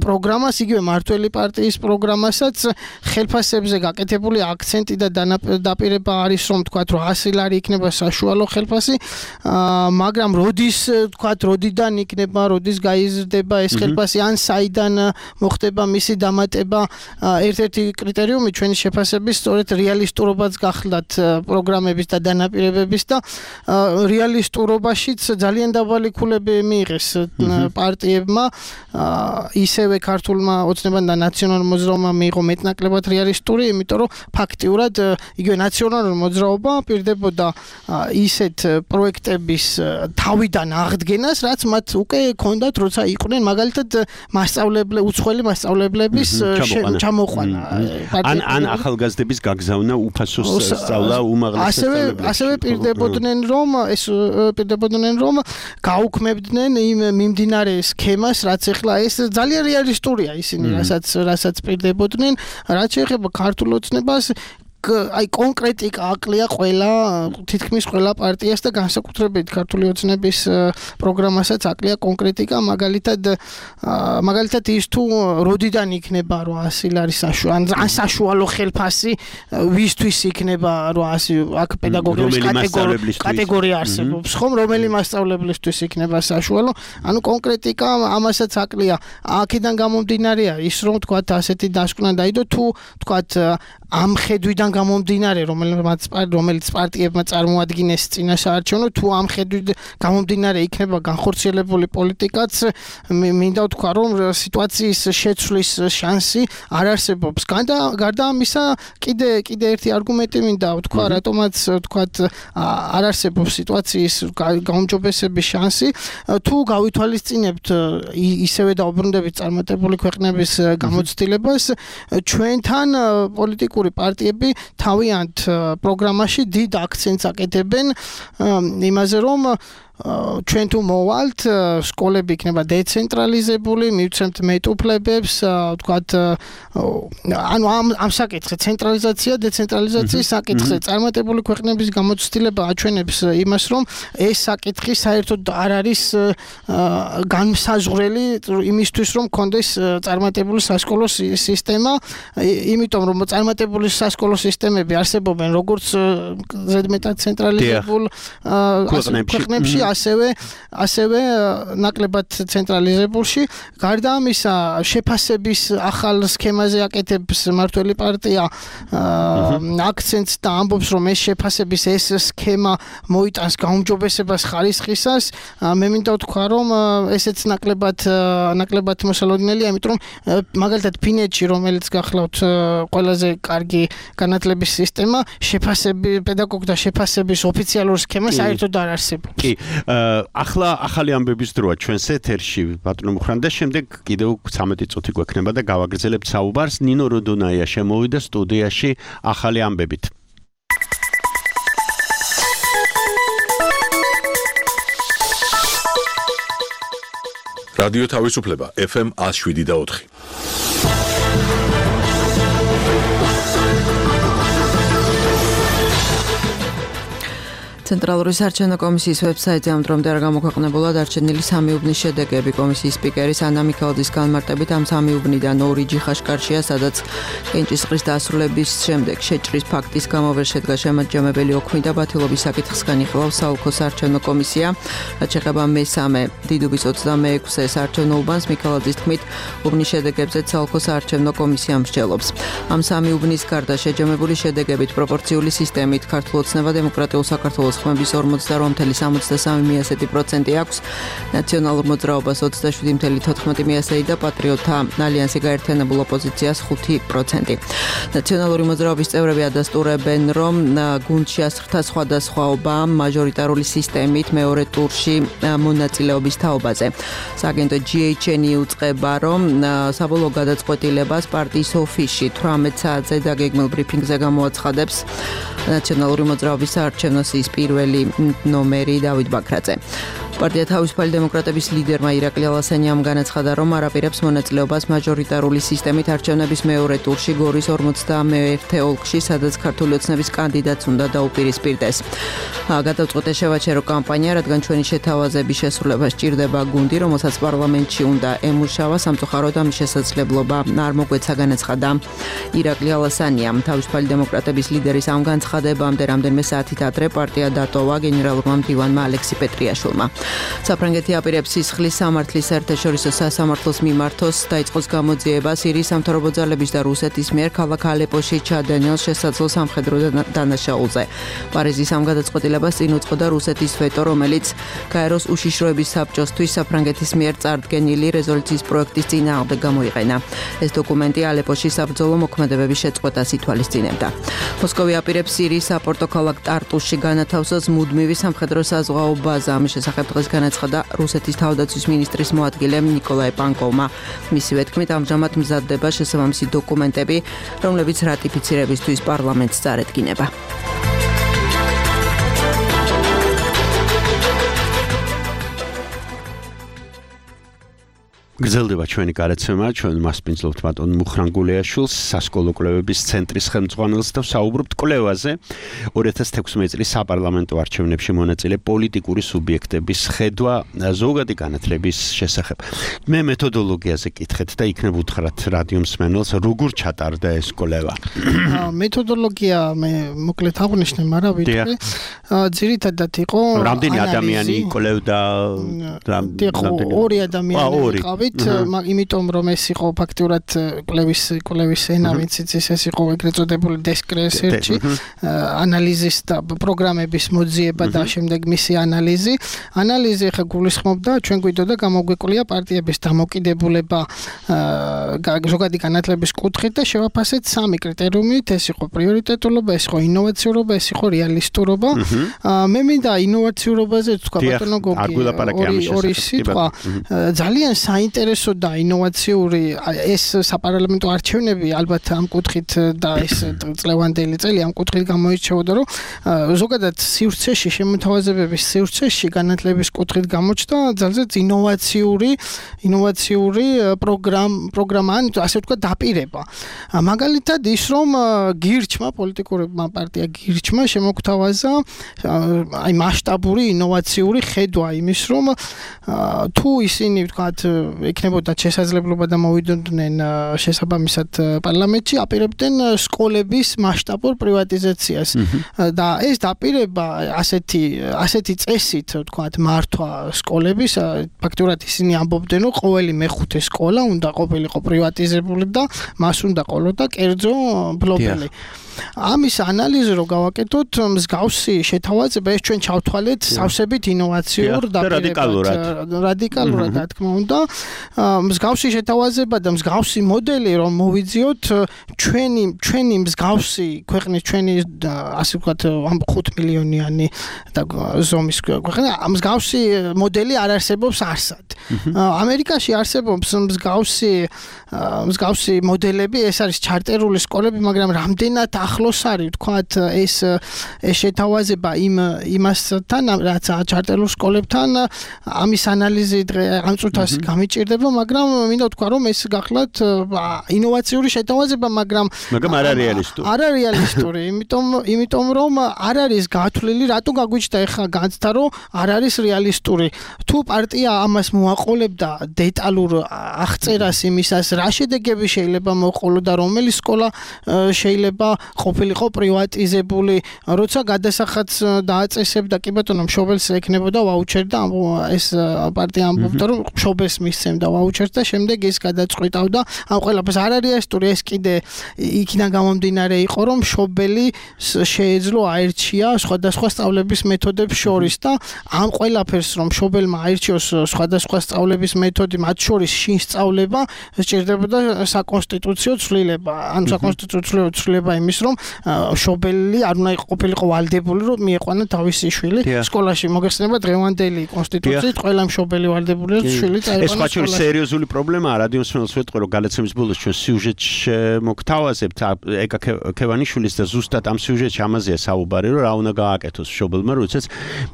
პროგრამას, იგივე მართველი პარტიის პროგრამასაც. ხელფასებზე გაკეთებული აქცენტი და დაპირება არის, რომ 100 ლარი იქნება საშუალო ხელფასი, მაგრამ როდიდან იქნება, როდის გაიზრდება ეს ხელფასი, ან საიდან მოხდება მისი დამატება. ერთ-ერთი კრიტერიუმი ჩვენი შეფასების სწორედ რეალისტურობაც გახლდათ პროგრამების და დანაპირებების და რეალისტურობაშიც ძალიან დაბალი ქულები მიიღეს პარტიებმა. ისევე ქართულმა ოცნებამ და ნაციონალურ მოძრაობამ მიიღო მეტნაკლებად რეალისტური, იმიტომ რომ ფაქტიურად იგივე ნაციონალური მოძრაობა პირდებოდა ისეთ პროექტების თავიდან აღდგენას, რაც მათ უკვე ჰქონდათ, როცა იყვნენ მაგალითად უცხოელი მასწავლებლების ჩამოყვანა. ან ახალგაზრდების გაგზავნა უფასო სწავლა უმაღლეს სასწავლებელში. ასევე პირდებოდნენ, რომ გაუქმებდნენ იმ მიმდინარე სქემას, რაც ეხლა ეს ძალიან რეალისტურია ისინი, რასაც პირდებოდნენ, რაც შეეხება ქართულ ოცნებას. კონკრეტიკა აკლია თითქმის ყველა პარტიას და განსაკუთრებით ქართული ოცნების პროგრამასაც აკლია კონკრეტიკა, მაგალითად ის თუ როდიდან იქნება 800 ლარი საშუალო ხელფასი, ვისთვის იქნება 800, აქ პედაგოგების კატეგორია არსებობს, ხომ, რომელი მასწავლებლისთვის იქნება საშუალო, ანუ კონკრეტიკა ამასაც აკლია. აქედან გამომდინარეა ის, რომ თქვათ ასეთი დასკვნა დაიდო, თუ თქვათ ამ ხედვიდან გამომდინარე, რომელიც პარტიებმა წარმოადგინეს წინასაარჩევნო, თუ ამ ხედვიდან გამომდინარე იქნება განხორციელებული პოლიტიკაც, მინდა ვთქვა, რომ სიტუაციის შეცვლის შანსი არ არსებობს. გარდა ამისა, კიდე ერთი არგუმენტი მინდა ვთქვა, რატომაც ვთქვათ არ არსებობს სიტუაციის გაუმჯობესების შანსი, თუ გავითვალისწინებთ ისევე დაუბრუნდებით წარმატებული ქვეყნების გამოცდილებას, ჩვენთან პოლიტიკური პარტიები თავიანთ პროგრამაში დიდ აქცენტს აკეთებენ იმაზე, რომ ჩვენ თუ მოვალთ, სკოლები იქნება დეცენტრალიზებული, მივცემთ მეტუფლებებს, ვთქვათ, ანუ ამ საკითხზე ცენტრალიზაცია, დეცენტრალიზაციის საკითხზე წარმატებული ქვეყნების გამოცდილება აჩვენებს იმას, რომ ეს საკითხი საერთოდ არ არის განმსაზღვრელი იმისთვის, რომ კონდეს წარმატებული სასკოლო სისტემა, იმიტომ რომ წარმატებული სასკოლო სისტემები არსებობენ როგორც ზედმეტად ცენტრალიზებულ ქვეყნებში, ასევე ნაკლებად ცენტრალიზებულში. გარდა ამისა, შეფასების ახალ სქემაზე აკეთებს მართველი პარტია აქცენტს და ამბობს, რომ ეს შეფასების სქემა მოიტანს გაუმჯობესებას ხარისხისას. მე მინდა ვთქვა, რომ ესეც ნაკლებად მოსალოდნელია, იმიტომ რომ მაგალითად ფინეთში, რომელიც გახლავთ ყველაზე კარგი განათლების სისტემა, პედაგოგთა შეფასების ოფიციალური სქემა საერთოდ არ არსებობს. კი, ახლა ახალი ამბების დროა ჩვენს ეთერში, ბატონო მუხრან, და შემდეგ კიდევ 13 წუთი გვექნება და გავაგრძელებთ საუბარს. ნინო როდონაია შემოვიდა სტუდიაში ახალი ამბებით. რადიო თავისუფლება FM 107.4. ცენტრალური საარჩევნო კომისიის ვებსაიტზე ამ დრომდე არ გამოქვეყნებულა დარჩენილი 3 უბნის შედეგები. კომისიის სპიკერის ანა მიქელაძის განმარტებით ამ 3 უბნიდან 2 ჯიხაშკარშია, სადაც კენჭისყრის დასრულების შემდეგ შეჭრის ფაქტის გამო ვერ შედგა შემაჯამებელი ოქმი და ბათილობის საკითხს განიხილავს საოლქო საარჩევნო კომისია. რაც შეეხება მესამე დიდუბის 26-ე საარჩევნო უბანს, მიქელაძის თქმით, უბნის შედეგებზე საოლქო საარჩევნო კომისია მსჯელობს. ამ 3 უბნის გარდა შეჯამებული შედეგებით პროპორციული სისტემით ქართულ ოცნება დემოკრატიულ საქართველოს ხმების 48.73% აქვს, ნაციონალურ მოძრაობას 27.14% და პატრიოტთა ალიანსი გაერთიანებულ ოპოზიციას 5%. ნაციონალური მოძრაობის წევრები ადასტურებენ, რომ გუნდში ასხთა სხვადასხვაობა მაჟორიტარული სისტემით მეორე ტურში მონაწილეობის თაობაზე. სააგენტო GHN იუწყება, რომ საბოლოო გადაწყვეტილებას პარტიის ოფისში 18 საათზე დაგეგმილ ბრიფინგზე გამოაცხადებს ნაციონალური მოძრაობის საარჩევნო სიის პირველი ნომერი დავით ბაქრაძე. პარტია თავისუფალი დემოკრატების ლიდერმა ირაკლი ალასანიამ განაცხადა, რომ არ აპირებს მონაწილეობას მაჟორიტარული სისტემით არჩევნების მეორე ტურში გორის 51 ოლქში, სადაც ქართული ოცნების კანდიდატს უნდა დაუპირისპირდეს. გადავწყვეტე შევაჩერო კამპანია, რადგან ჩვენი შეთავაზების შესრულება სჭირდება გუნდი, რომელსაც პარლამენტში უნდა ემუშავა, სამწუხაროდ ამის შესაძლებლობა არ მოგვეცა, განაცხადა ირაკლი ალასანიამ. თავისუფალი დემოკრატების ლიდერის ამ განცხადებამდე რამდენიმე საათით ადრე პარტია დატოვა გენერალურმა მდივანმა ალექსი პეტრიაშვილმა. საფრანგეთი აპირებს სისხლის სამართლის საერთაშორისო სასამართლოს მიმართოს დაიწყოს გამოძიება სირიის სამთავრობო ძალების და რუსეთის მიერ ქალაქ ალეპოში ჩადენილ შესაძლო სამხედრო დანაშაულზე. პარიზის ამ გადაწყვეტილებას წინ უძღოდა რუსეთის ვეტო, რომელიც გაეროს უშიშროების საბჭოსთვის საფრანგეთის მიერ წარდგენილი რეზოლუციის პროექტის წინააღმდეგ გამოიყენა. ეს დოკუმენტი ალეპოში საბრძოლო მოქმედებების შეწყვეტას ითვალისწინებდა. მოსკოვი აპირებს სირიის საპორტო ქალაქ ტარტუსში განათავსოს მუდმივი სამხედრო საზღვაო ბაზა. ამის შესახებ დღეს განაცხადა რუსეთის თავდაცვის მინისტრის მოადგილე ნიკოლაი პანკოვმა. მისივე თქმით, ამჟამად მზადდება შესაბამისი დოკუმენტები, რომლებიც რატიფიცირებისთვის პარლამენტს წარედგინება. გრძელდება ჩვენი გარეთცემა, ჩვენ მასპინძლობთ ბატონ მუხრან გულეაშვილს, სასკოლო კვლევების ცენტრის ხელმძღვანელს და საუბრობთ კვლევაზე 2016 წლის საპარლამენტო არჩევნებში მონაწილე პოლიტიკური სუბიექტების ხედვა ზოგადი განათლების შესახებ. მე მეთოდოლოგიაზე კითხეთ და იქნებ უთხრათ რადიო მსმენელს, როგორ ჩატარდა ეს კვლევა. მეთოდოლოგია მე მოკლედ აღვნიშნე, მაგრამ ვიტყვი ძირითადად იყო რამდენი ადამიანი კვლევდა? ორი ადამიანი ყავით, იმიტომ რომ ეს იყო ფაქტურად კვლევის ენა, ვიცით, ეს იყო ეგრეთ წოდებული desk research, ანალიზის და პროგრამების მოძიება და შემდეგ მისი ანალიზი. ანალიზი ხა გულისხმობდა, ჩვენ გვიდოდა გამოგვეკლია პარტიების დამოკიდებულება ზოგადი განათლების კუთხით და შევაფასეთ 3 კრიტერიუმით, ეს იყო პრიორიტეტულობა, ეს იყო ინოვაციურობა, ეს იყო რეალისტურობა. მე მინდა ინოვაციურობაზე თქვა ბატონო გოგი, ორი სიტყვა. ძალიან საინტერესო და ინოვაციური ეს საპარლამენტო არჩევნები ალბათ ამ კუთხით და ეს წლევანდელი წელი ამ კუთხით გამოირჩეოდა, რომ ზოგადად სივრცეში შემოთავაზებების სივრცეში განათლების კუთხით გამოჩნდა ძალზედ ინოვაციური პროგრამა, ასე ვთქვათ, დაპირება. მაგალითად ის, რომ გირჩმა, პოლიტიკურმა პარტია გირჩმა შემოგთავაზა აი მასშტაბური ინოვაციური ხედვა იმის, რომ თუ ისინი ვთქვათ ექნებოდა შესაძლებლობა და მოვიდოდნენ შესაბამისად პარლამენტში, აპირებდნენ სკოლების მასშტაბურ პრივატიზაციას. და ეს დაპირება ასეთი წესით ვთქვათ მართვა სკოლების, ფაქტურად ისინი ამბობდნენ, რომ ყოველი მეხუთე სკოლა უნდა ყოფილიყო პრივატიზებული და მას უნდა ყოლოდა კერძო ბლოკები. ამის ანალიზი რო გავაკეთოთ, მსგავსი შეთავაზება ეს ჩვენ ჩავთვალეთ სავსებით ინოვაციურ დაპირებად, რადიკალურად რა თქმა უნდა. მსგავსი შეთავაზება და მსგავსი მოდელი რომ მოვიძიოთ ჩვენი მსგავსი ქვეყნის ჩვენი ასე ვთქვათ 5 მილიონიანი და ზომის ქვეყნა მსგავსი მოდელი არ არსებობს არსად. ამერიკაში არსებობს მსგავსი მოდელები, ეს არის ჩარტერული სკოლები, მაგრამ რამდენად ახლოს არის ვთქვათ ეს შეთავაზება იმასთან, რაც ჩარტერულ სკოლებთან, ამის ანალიზი დღე ამ წუთას გამიჭირდა სჭირდება, მაგრამ მინდა ვთქვა, რომ ეს გახლავთ ინოვაციური შეთავაზება, მაგრამ არ არის რეალისტური. არ არის რეალისტური, იმიტომ რომ არ არის გათვლილი, რატო გაგვიჩნდა ეხლა განცდა, რომ არ არის რეალისტური. თუ პარტია ამას მოაყოლებდა დეტალურ აღწერას იმისას, რა შედეგები შეიძლება მოყოლო და რომელი სკოლა შეიძლება ყოფილიყო პრივატიზებული, როცა გადასახადს დააწესებდა კი ბატონო მშობელს ეკნებოდა ვაუჩერი და ეს პარტია ამბობდა რომ მშობელს მისცემდა ვაუჩერს და შემდეგ ის გადაწყვიტავდა ამ ყველაფერს არ არის რეალისტური ეს კიდე იქიდან გამომდინარე იყო რომ მშობელი შეეძლო აერჩია სხვადასხვა სწავლების მეთოდებს შორის და ამ ყველაფერს რომ მშობელმა აერჩიოს სხვადასხვა სწავლების მეთოდი მათ შორის შინ სწავლება სჭირდებოდა საკონსტიტუციო ცვლილება ან საკონსტიტუციო ცვლილება იმის რომ მშობელი არ უნდა ყოფილიყო ვალდებული რომ მieყვანა თავისი შვილი სკოლაში მოგეხსენება დღევანდელი კონსტიტუციით ყველა მშობელი ვალდებულია შვილი წაეყვანა ეს ხაჭური სერიოზული პრობლემაა რადიოს მსმენელს ვეთყვი რომ გადაცემის ბოლოს ჩვენ სიუჟეტში მოგთავაზებთ ეკა ქევანიშვილის და ზუსტად ამ სიუჟეტში ამაზეა საუბარი რომ რა უნდა გააკეთოს მშობელმა როდესაც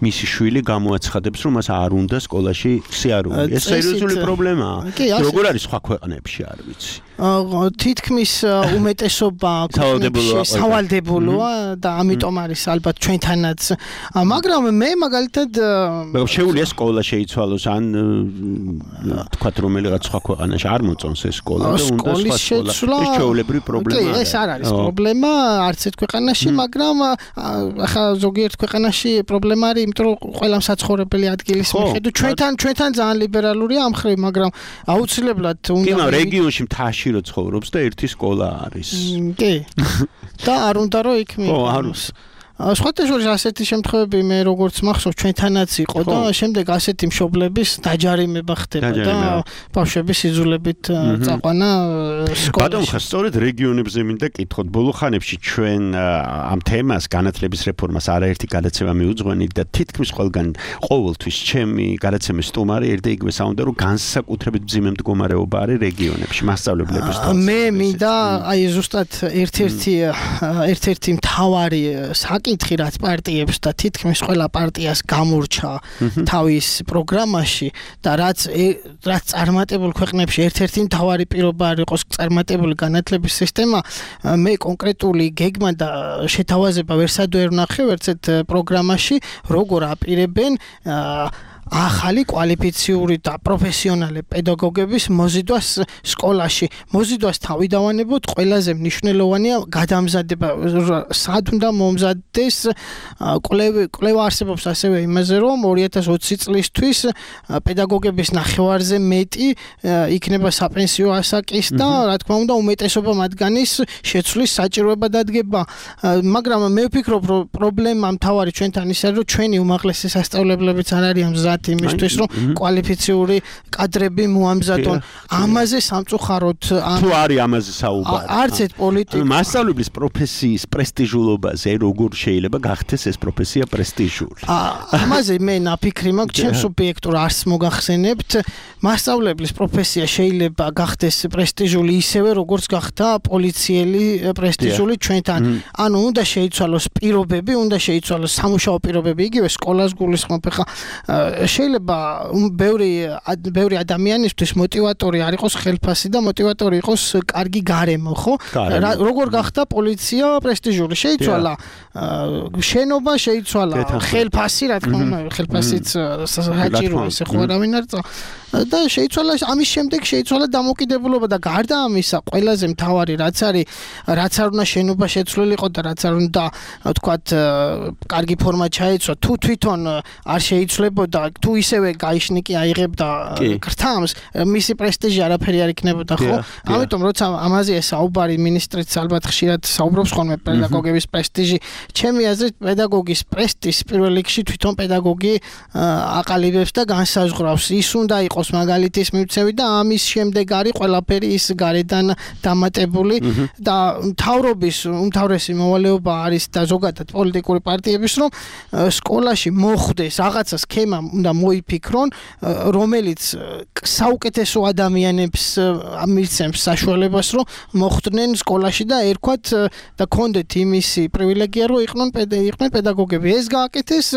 მისი შვილი გამოაცხადებს რომ მას არ უნდა სკოლაში სიარული ეს სერიოზული პრობლემაა როგორ არის სხვა ქვეყნებში არ ვიცი თითქმის უმეტესობა სავალდებულოა და ამიტომ არის ალბათ ჩვენთანაც მაგრამ მე მაგალითად შეუძლია სკოლა შეიცვალოს ან თქვათ რომელიღაც სხვა ქვეყანაში არ მოწონს ეს სკოლა და უნდა სხვა სკოლა ეს ჩვეულებრივი პრობლემაა ეს არ არის პრობლემა არც ერთ ქვეყანაში მაგრამ ახლა ზოგიერთ ქვეყანაში პრობლემა არის იმიტომ რომ ყველა საცხოვრებელი ადგილის მიხედვით ჩვენთან ძალიან ლიბერალურია ამ ხრივ მაგრამ აუცილებლად უნდა რეგიონში მთაში რო ცხოვრობს და ერთი სკოლა არის კი და არ უნდა რომ იქ მიიღოს სხვათა შორის ასეთი შემთხვევები მე როგორც მახსოვს ჩვენთანაც იყო და შემდეგ ასეთი მშობლების დაჯარიმება ხდება და ბავშვების იძულებით წაყვანა სკოლაში. ბატონო, ხა სწორედ რეგიონებზე მინდა კითხოთ. ბოლო ხანებში ჩვენ ამ თემას განათლების რეფორმას არაერთი გადაცემა მიუძღვენით და თითქმის ყოველთვის ჩემი გადაცემის სტუმარი ერთ და იგივე საუნდა რომ განსაკუთრებით მძიმე მდგომარეობა არის რეგიონებში მასწავლებლების თვალსაზრისით. მე მინდა აი ზუსტად ერთ-ერთი მთავარი საკითხი რაც პარტიებს და თითქმის ყველა პარტიას გამორჩა თავის პროგრამაში და რაც წარმატებულ ქვეყნებში ერთ-ერთი მთავარი პირობა არ იყოს წარმატებული განათლების სისტემა მე კონკრეტული გეგმა და შეთავაზება ვერსად ვერ ვნახე ვერცეთ პროგრამაში როგორ აპირებენ ახალი კვალიფიციური და პროფესიონალი პედაგოგების მოზიდვას სკოლაში. მოზიდვას თავიდანვანებოდ ყველაზე მნიშვნელოვანია გადამზადება. სად უნდა მომზადდეს კვლევა არსებობს ასევე იმაზე რომ 2020 წლისთვის პედაგოგების ნახევარზე მეტი იქნება საპენსიო ასაკის და რა თქმა უნდა უმეტესობა მათგანის შეცვლის საჭიროება დადგება. მაგრამ მე ვფიქრობ რომ პრობლემა მთავარი ჩვენთან ის არის რომ ჩვენი უმაღლესი სასწავლებლებიც არ არის ამ იმისთვის რომ კვალიფიციური კადრები მოამზადონ ამაზე სამწუხაროდ თუ არის ამაზე საუბარი არც ერთ პოლიტიკა მასწავლებლის პროფესიის პრესტიჟულობაზე როგორ შეიძლება გახდეს ეს პროფესია პრესტიჟული ამაზე მე ნაფიქრი მაქვს ჩემ სუბიექტურ არსს მოგახსენებთ მასწავლებლის პროფესია შეიძლება გახდეს პრესტიჟული ისევე როგორც გახდა პოლიციელი პრესტიჟული ჩვენთან ანუ უნდა შეიცვალოს პირობები უნდა შეიცვალოს სამუშაო პირობები იგივე სკოლას გულისხმობ ხა შეიძლება ბევრი ადამიანისთვის მოტივატორი არ იყოს ხელფასი და მოტივატორი იყოს კარგი გარემო, ხო? როგორ გახდა პოლიცია პრესტიჟული? შეიცვალა შენობა, შეიცვალა ხელფასი, რა თქმა უნდა, ხელფასიც საჭიროა, ესე ხო არავინ არ და შეიცვალა ამის შემდეგ შეიცვალა დამოკიდებულობა და გარდა ამისა, ყველაზე მთავარი რაც არის, რაც არ უნდა შენობა შეცვლილიყო და რაც არ უნდა, ვთქვათ, კარგი ფორმა ჩაეცვა, თუ თვითონ არ შეიცვლებოდა, თუ ისევე გაიშნიკი აიღებდა გრთამს, მისი პრესტიჟი არაფერი არ იქნებოდა, ხო? ამიტომ როცა ამაზე საუბარი მინისტრიც ალბათ ხშირად საუბრობს ხოლმე პედაგოგების პრესტიჟი, ჩემი აზრით პედაგოგის პრესტიჟს პირველ რიგში თვითონ პედაგოგი აყალიბებს და განსაზღვრავს. ის უნდა იყოს მაგალითის მივცევი და ამის შემდეგ არის ყველაფერი ის გარედან დამატებული და მთავრობის უმთავრესი მოვალეობა არის და ზოგადად პოლიტიკური პარტიების რომ სკოლაში მოხვდეს რაღაცა სქემა უნდა მოიფიქრონ, რომელიც საუკეთესო ადამიანებს მისცემს საშუალებას, რომ მოხვდნენ სკოლაში და ერქვათ და კონდეთ იმისი პრივილეგია, რომ იყვნენ პედაგოგები. ეს გააკეთეს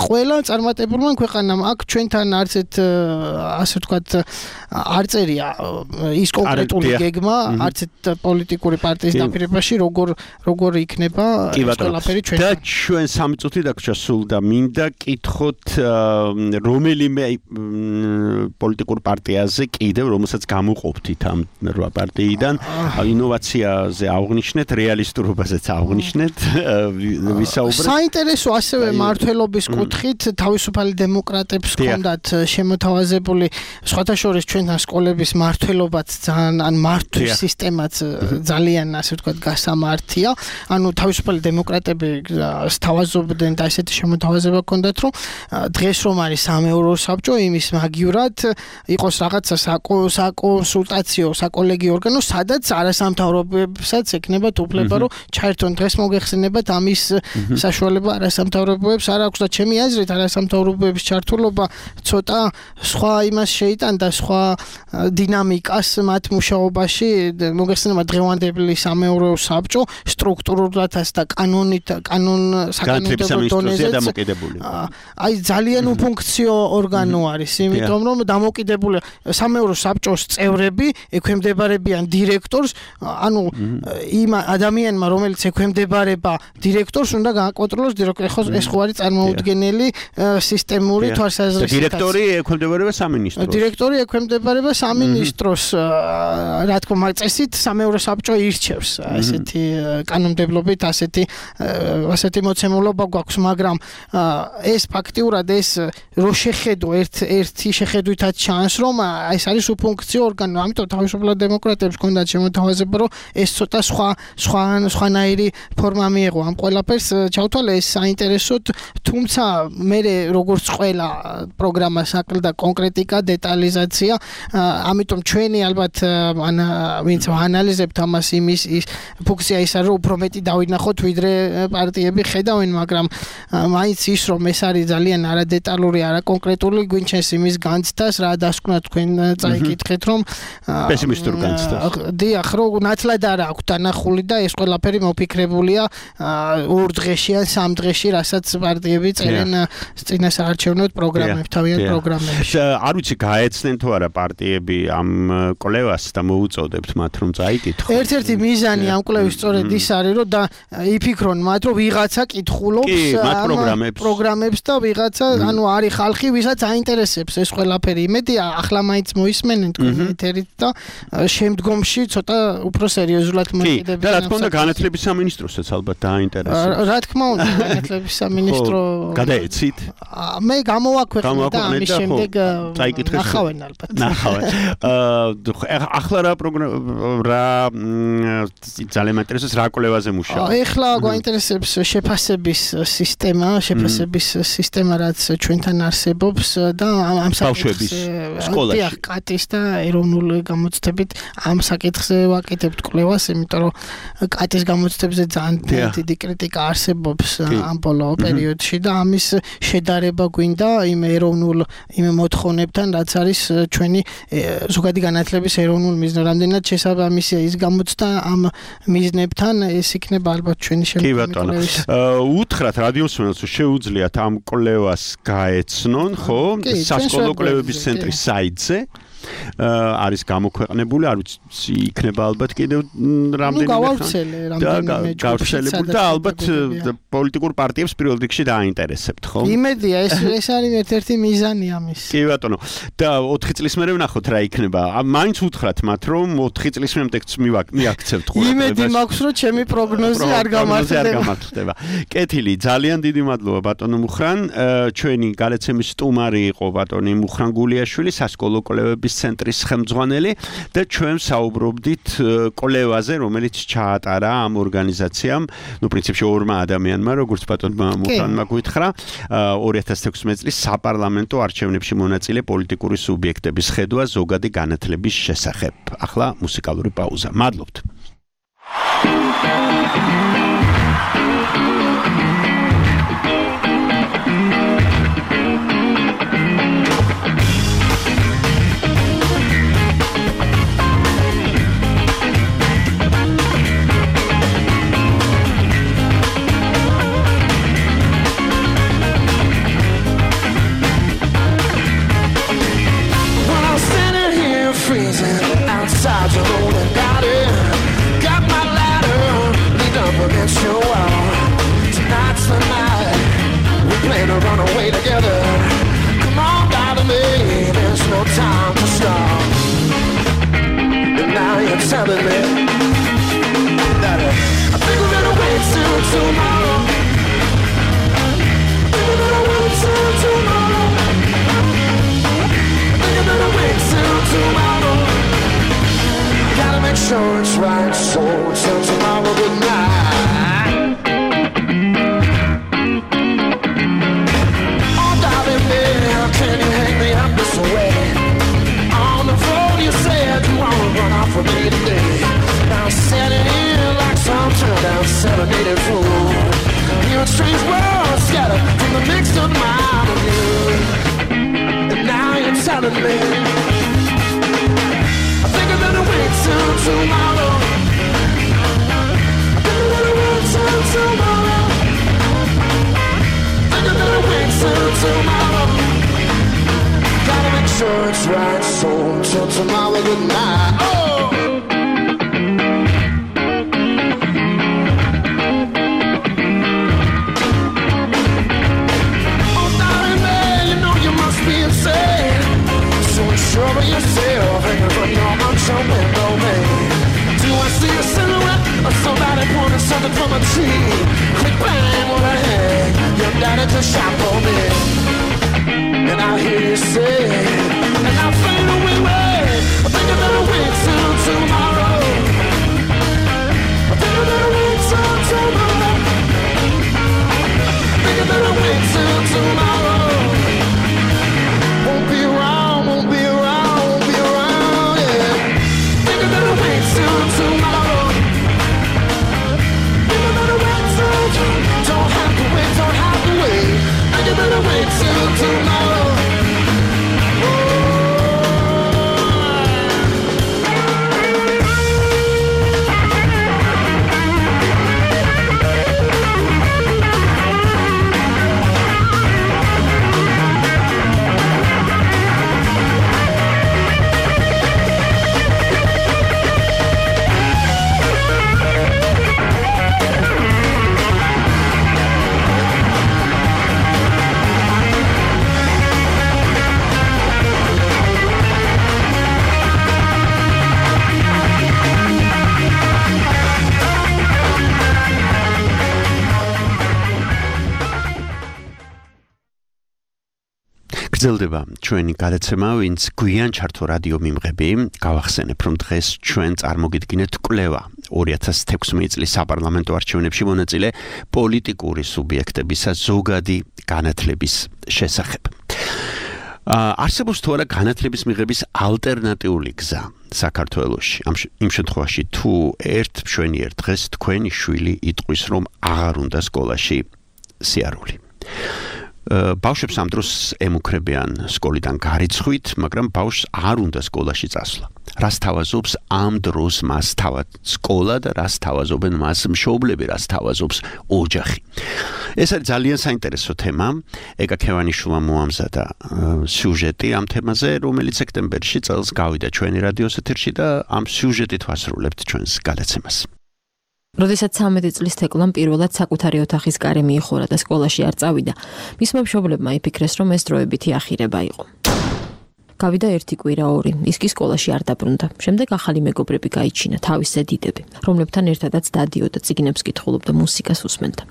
ყველა წარმატებულმა ქვეყანამ. აქ ჩვენთან არცეთ ასე ვთქვათ არ წერია ის კონკრეტული გეგმა, არცეთ პოლიტიკური პარტიის დაპირებაში როგორ იქნება ეს ყველაფერი ჩვენ. და ჩვენ 3 წუთი დაგვრჩა სულ და მინდა კითხოთ რომელიმე პოლიტიკურ პარტიაზე კიდევ რომელსაც გამოყოფთით ამ 8 პარტიიდან ინოვაციაზე აღნიშნეთ, რეალისტურობაზეც აღნიშნეთ, ვისაუბრეთ. საინტერესო ასევე მართლობის კუთხით თავისუფალი დემოკრატებს ჰქონდათ შემოთავაზებული სხვათა შორის ჩვენთან სკოლების მართლობაც ძალიან ან მართვის სისტემაც ძალიან ასე ვთქვათ გასამართია. ანუ თავისუფალი დემოკრატები სთავაზობდნენ და ესეთი შემოთავაზება ჰქონდათ, რომ დღეს რომ არის სამეურო საბჭო, იმის მაგივრად იყოს რაღაცა საკონსულტაციო, საკოლეგიო ორგანო, სადაც არასამთავრობოებსაც ექნებათ უფლება, რომ ჩაერთონ. დღეს მოგეხსენებათ ამის საშუალება არასამთავრობოებს არ აქვს და ჩემი აზრით არასამთავრობოების ჩართულობა ცოტა სხვა იმას შეიტანდა, სხვა დინამიკას მათ მუშაობაში. მოგეხსენებათ დღევანდელი სამეურო საბჭო სტრუქტურულადაც და საკანონმდებლო დონეზეც აი ძალიან უფუნქციო ორგანო არის, იმიტომ რომ დამოკიდებული სამეურო საბჭოს წევრები ექვემდებარებიან დირექტორს, ანუ იმ ადამიანმა, რომელიც ექვემდებარება დირექტორს, უნდა გააკონტროლოს დირექტორი. ეს ხო არის წარმოუდგენელი სისტემური თვალსაზრისით. დირექტორი ექვემდებარება სამინისტროს. დირექტორი ექვემდებარება სამინისტროს, რა თქმა უნდა, წესით სამეურო საბჭო ირჩევს ესეთი კანონმდებლობით, ასეთი მოცემულობა გვაქვს, მაგრამ ეს ფაქტიურად ეს რო შეხედო ერთი შეხედვითაც ჩანს, რომ ეს არის უფუნქციო ორგანო, ამიტომ თავისუფლად დემოკრატებს ჰქონდათ შემოთავაზება, რომ ეს ცოტა სხვანაირი ფორმა მიეღო ამ ყველაფერს ჩავთვალე, ეს საინტერესოდ, თუმცა მე როგორც ყველა პროგრამას აკლდა კონკრეტიკა, დეტალიზაცია, ამიტომ ჩვენი ალბათ ვინც ანალიზებთ ამას, იმის ფუნქცია ის არის, რომ უფრო მეტი დავინახოთ, ვიდრე პარტიები ხედავენ, მაგრამ მაინც ის რომ ეს არის ძალიან არადეტალური, არაკონკრეტული, გვინჩენს იმის განცდას, რა დასკვნა თქვენ წაიკითხეთ, რომ პესიმისტურ განცდას. დიახ, რომ ნათლად არ აქვს დანახული და ეს ყველაფერი მოფიქრებულია 2 დღეში ან 3 დღეში, რასაც პარტიები წერენ წინასაარჩევნო პროგრამებს, თავიანთ პროგრამებში. არ ვიცი გაეცნენ თუ არა პარტიები ამ კვლევას და მოუწოდებთ მათ რომ წაიკითხონ. ერთ-ერთი მიზანი ამ კვლევის სწორედ ის არის, რომ იფიქრონ მათ, რომ ვიღაცა კითხულობს პროგრამებს და ვიღაცა, ანუ არის ხალხი, ვისაც აინტერესებს ეს ყველაფერი. იმედია, ახლა მაინც მოისმენენ თქვენ ეთერით და შემდგომში ცოტა უფრო სერიოზულად მოიყვება. და რა თქმა უნდა, განათლების სამინისტროსაც ალბათ დააინტერესებს. რა თქმა უნდა, განათლების სამინისტრო გადაეცით? მე გამოვაქვეყნე და ამის შემდეგ ნახავენ ალბათ. ნახავენ. ახლა რა ძალიან მაინტერესებს რა კვლევაზე მუშაობ? ეხლა გვაინტერესებს შეფასების სისტემა, რაც ჩვენთან არსებობს და ამ ბავშვების სკოლაში. დიახ, კატის და ეროვნულ გამოცდებით ამ საკითხზე ვაკეთებთ კვლევას, იმიტომ რომ კატის გამოცდებზე ძალიან დიდი კრიტიკა არსებობს ამ ბოლო პერიოდში და ამის შედარება გვინდა იმ ეროვნულ მოთხოვნებთან, რაც არის ჩვენი ზოგადი განათლების ეროვნულ მიზნად. რამდენად შესაბამისია ის გამოცდა ამ მიზნებთან, ეს იქნება ალბათ ჩვენი შემდგომი. უთხრათ რადიოსმენელს, რომ შეუძლიათ ამ კვლევას გაეცნონ, ხო? სასკოლო კვლევების ცენტრის საიტზე. არის გამოქვეყნებული, არ ვიცი, იქნება ალბათ კიდევ რამდენიმე გავრცელებული და ალბათ პოლიტიკურ პარტიებს პირველ რიგში დააინტერესებთ, ხო? იმედია, ეს არის ერთ-ერთი მიზანი ამის. კი ბატონო. და 4 წლის მერე ვნახოთ რა იქნება. მაინც უთხრათ მათ, რომ 4 წლის მერეც მიაქცევთ ყურადღებას. იმედი მაქვს, რომ ჩემი პროგნოზი არ გამართლდება. კეთილი, ძალიან დიდი მადლობა ბატონო მუხრან. ჩვენი გადაცემის სტუმარი იყო ბატონი მუხრან გულიაშვილი, სასკოლო კვლევების ცენტრის ხელმძღვანელი და ჩვენ საუბრობდით კვლევაზე, რომელიც ჩაატარა ამ ორგანიზაციამ, პრინციპში 2 ადამიანმა, როგორც ბატონმა მუხრანმა გითხრა, 2016 წლის საპარლამენტო არჩევნებში მონაწილე პოლიტიკური სუბიექტების ხედვა ზოგადი განათლების შესახებ. ახლა მუსიკალური პაუზა. მადლობთ. baby. I think we're gonna wait till tomorrow. I think we're gonna wait till tomorrow. I think we're gonna wait till tomorrow. Gotta make sure it's right, so till tomorrow, good night. Oh darling, baby, how can you hang me up this way? On the phone you said you wanna run off with me today. Now I'm standing here like some turned down serenaded fool. You're a strange world scattered from the mixed up mind of you. And now you're telling me I think I'm gonna wait till tomorrow. I think I'm gonna wait till tomorrow. I think I'm gonna wait till tomorrow. Gotta make sure it's right, so till tomorrow, good night. Oh! Sure of yourself, hanging from your unshot window, baby. Do I see a silhouette of somebody pointing something from a tree? Quick bang on her head, your daddy just shot for me. And I hear you say, and I fade away, I think I'm gonna wait till tomorrow. I think I'm gonna wait till tomorrow. I think I'm gonna wait till tomorrow. Won't be around, won't be around, won't be around, yeah. Think I'm gonna wait till tomorrow. Think I'm gonna wait till tomorrow. Don't have to wait, don't have to wait. Think I'm gonna wait till tomorrow. გრძელდება ჩვენი გადაცემა, ვინც გვიან ჩართო რადიო მიმღები, გავახსენებ, რომ დღეს ჩვენ წარმოგიდგინეთ კვლევა 2016 წლის საპარლამენტო არჩევნებში მონაწილე პოლიტიკური სუბიექტებისა ზოგადი განათლების შესახებ. არსებობს თუ არა განათლების მიღების ალტერნატიული გზა საქართველოში. იმ შემთხვევაში თუ ერთ მშვენიერ დღეს თქვენი შვილი იტყვის, რომ აღარ უნდა სკოლაში სიარული. ბავშვებს ამ დროს ემუქრებიან სკოლიდან გარიცხვით, მაგრამ ბავშვს არ უნდა სკოლაში წასვლა. რას თავაზობს ამ დროს მას თავად სკოლა და რას თავაზობენ მას მშობლები, რას თავაზობს ოჯახი. ეს არის ძალიან საინტერესო თემა. ეკა ქევანიშვილმა მოამზადა სიუჟეტი ამ თემაზე, რომელიც სექტემბერში წელს გავიდა ჩვენი რადიოს ეთერში და ამ სიუჟეტით ვასრულებთ ჩვენს გადაცემას. როდესაც 13 წლის თეკლამ პირველად საკუთარი ოთახის კარი მიიხურა და სკოლაში არ წავიდა, მისმა მშობლებმა იფიქრეს, რომ ეს დროებითი ახირება იყო. გავიდა ერთი კვირა ორი, ის კი სკოლაში არ დაბრუნდა. შემდეგ ახალი მეგობრები გაიჩინა, თავის ზედიდები, რომლებთან ერთადაც დადიოდა, წიგნებს კითხულობდა, მუსიკას უსმენდა.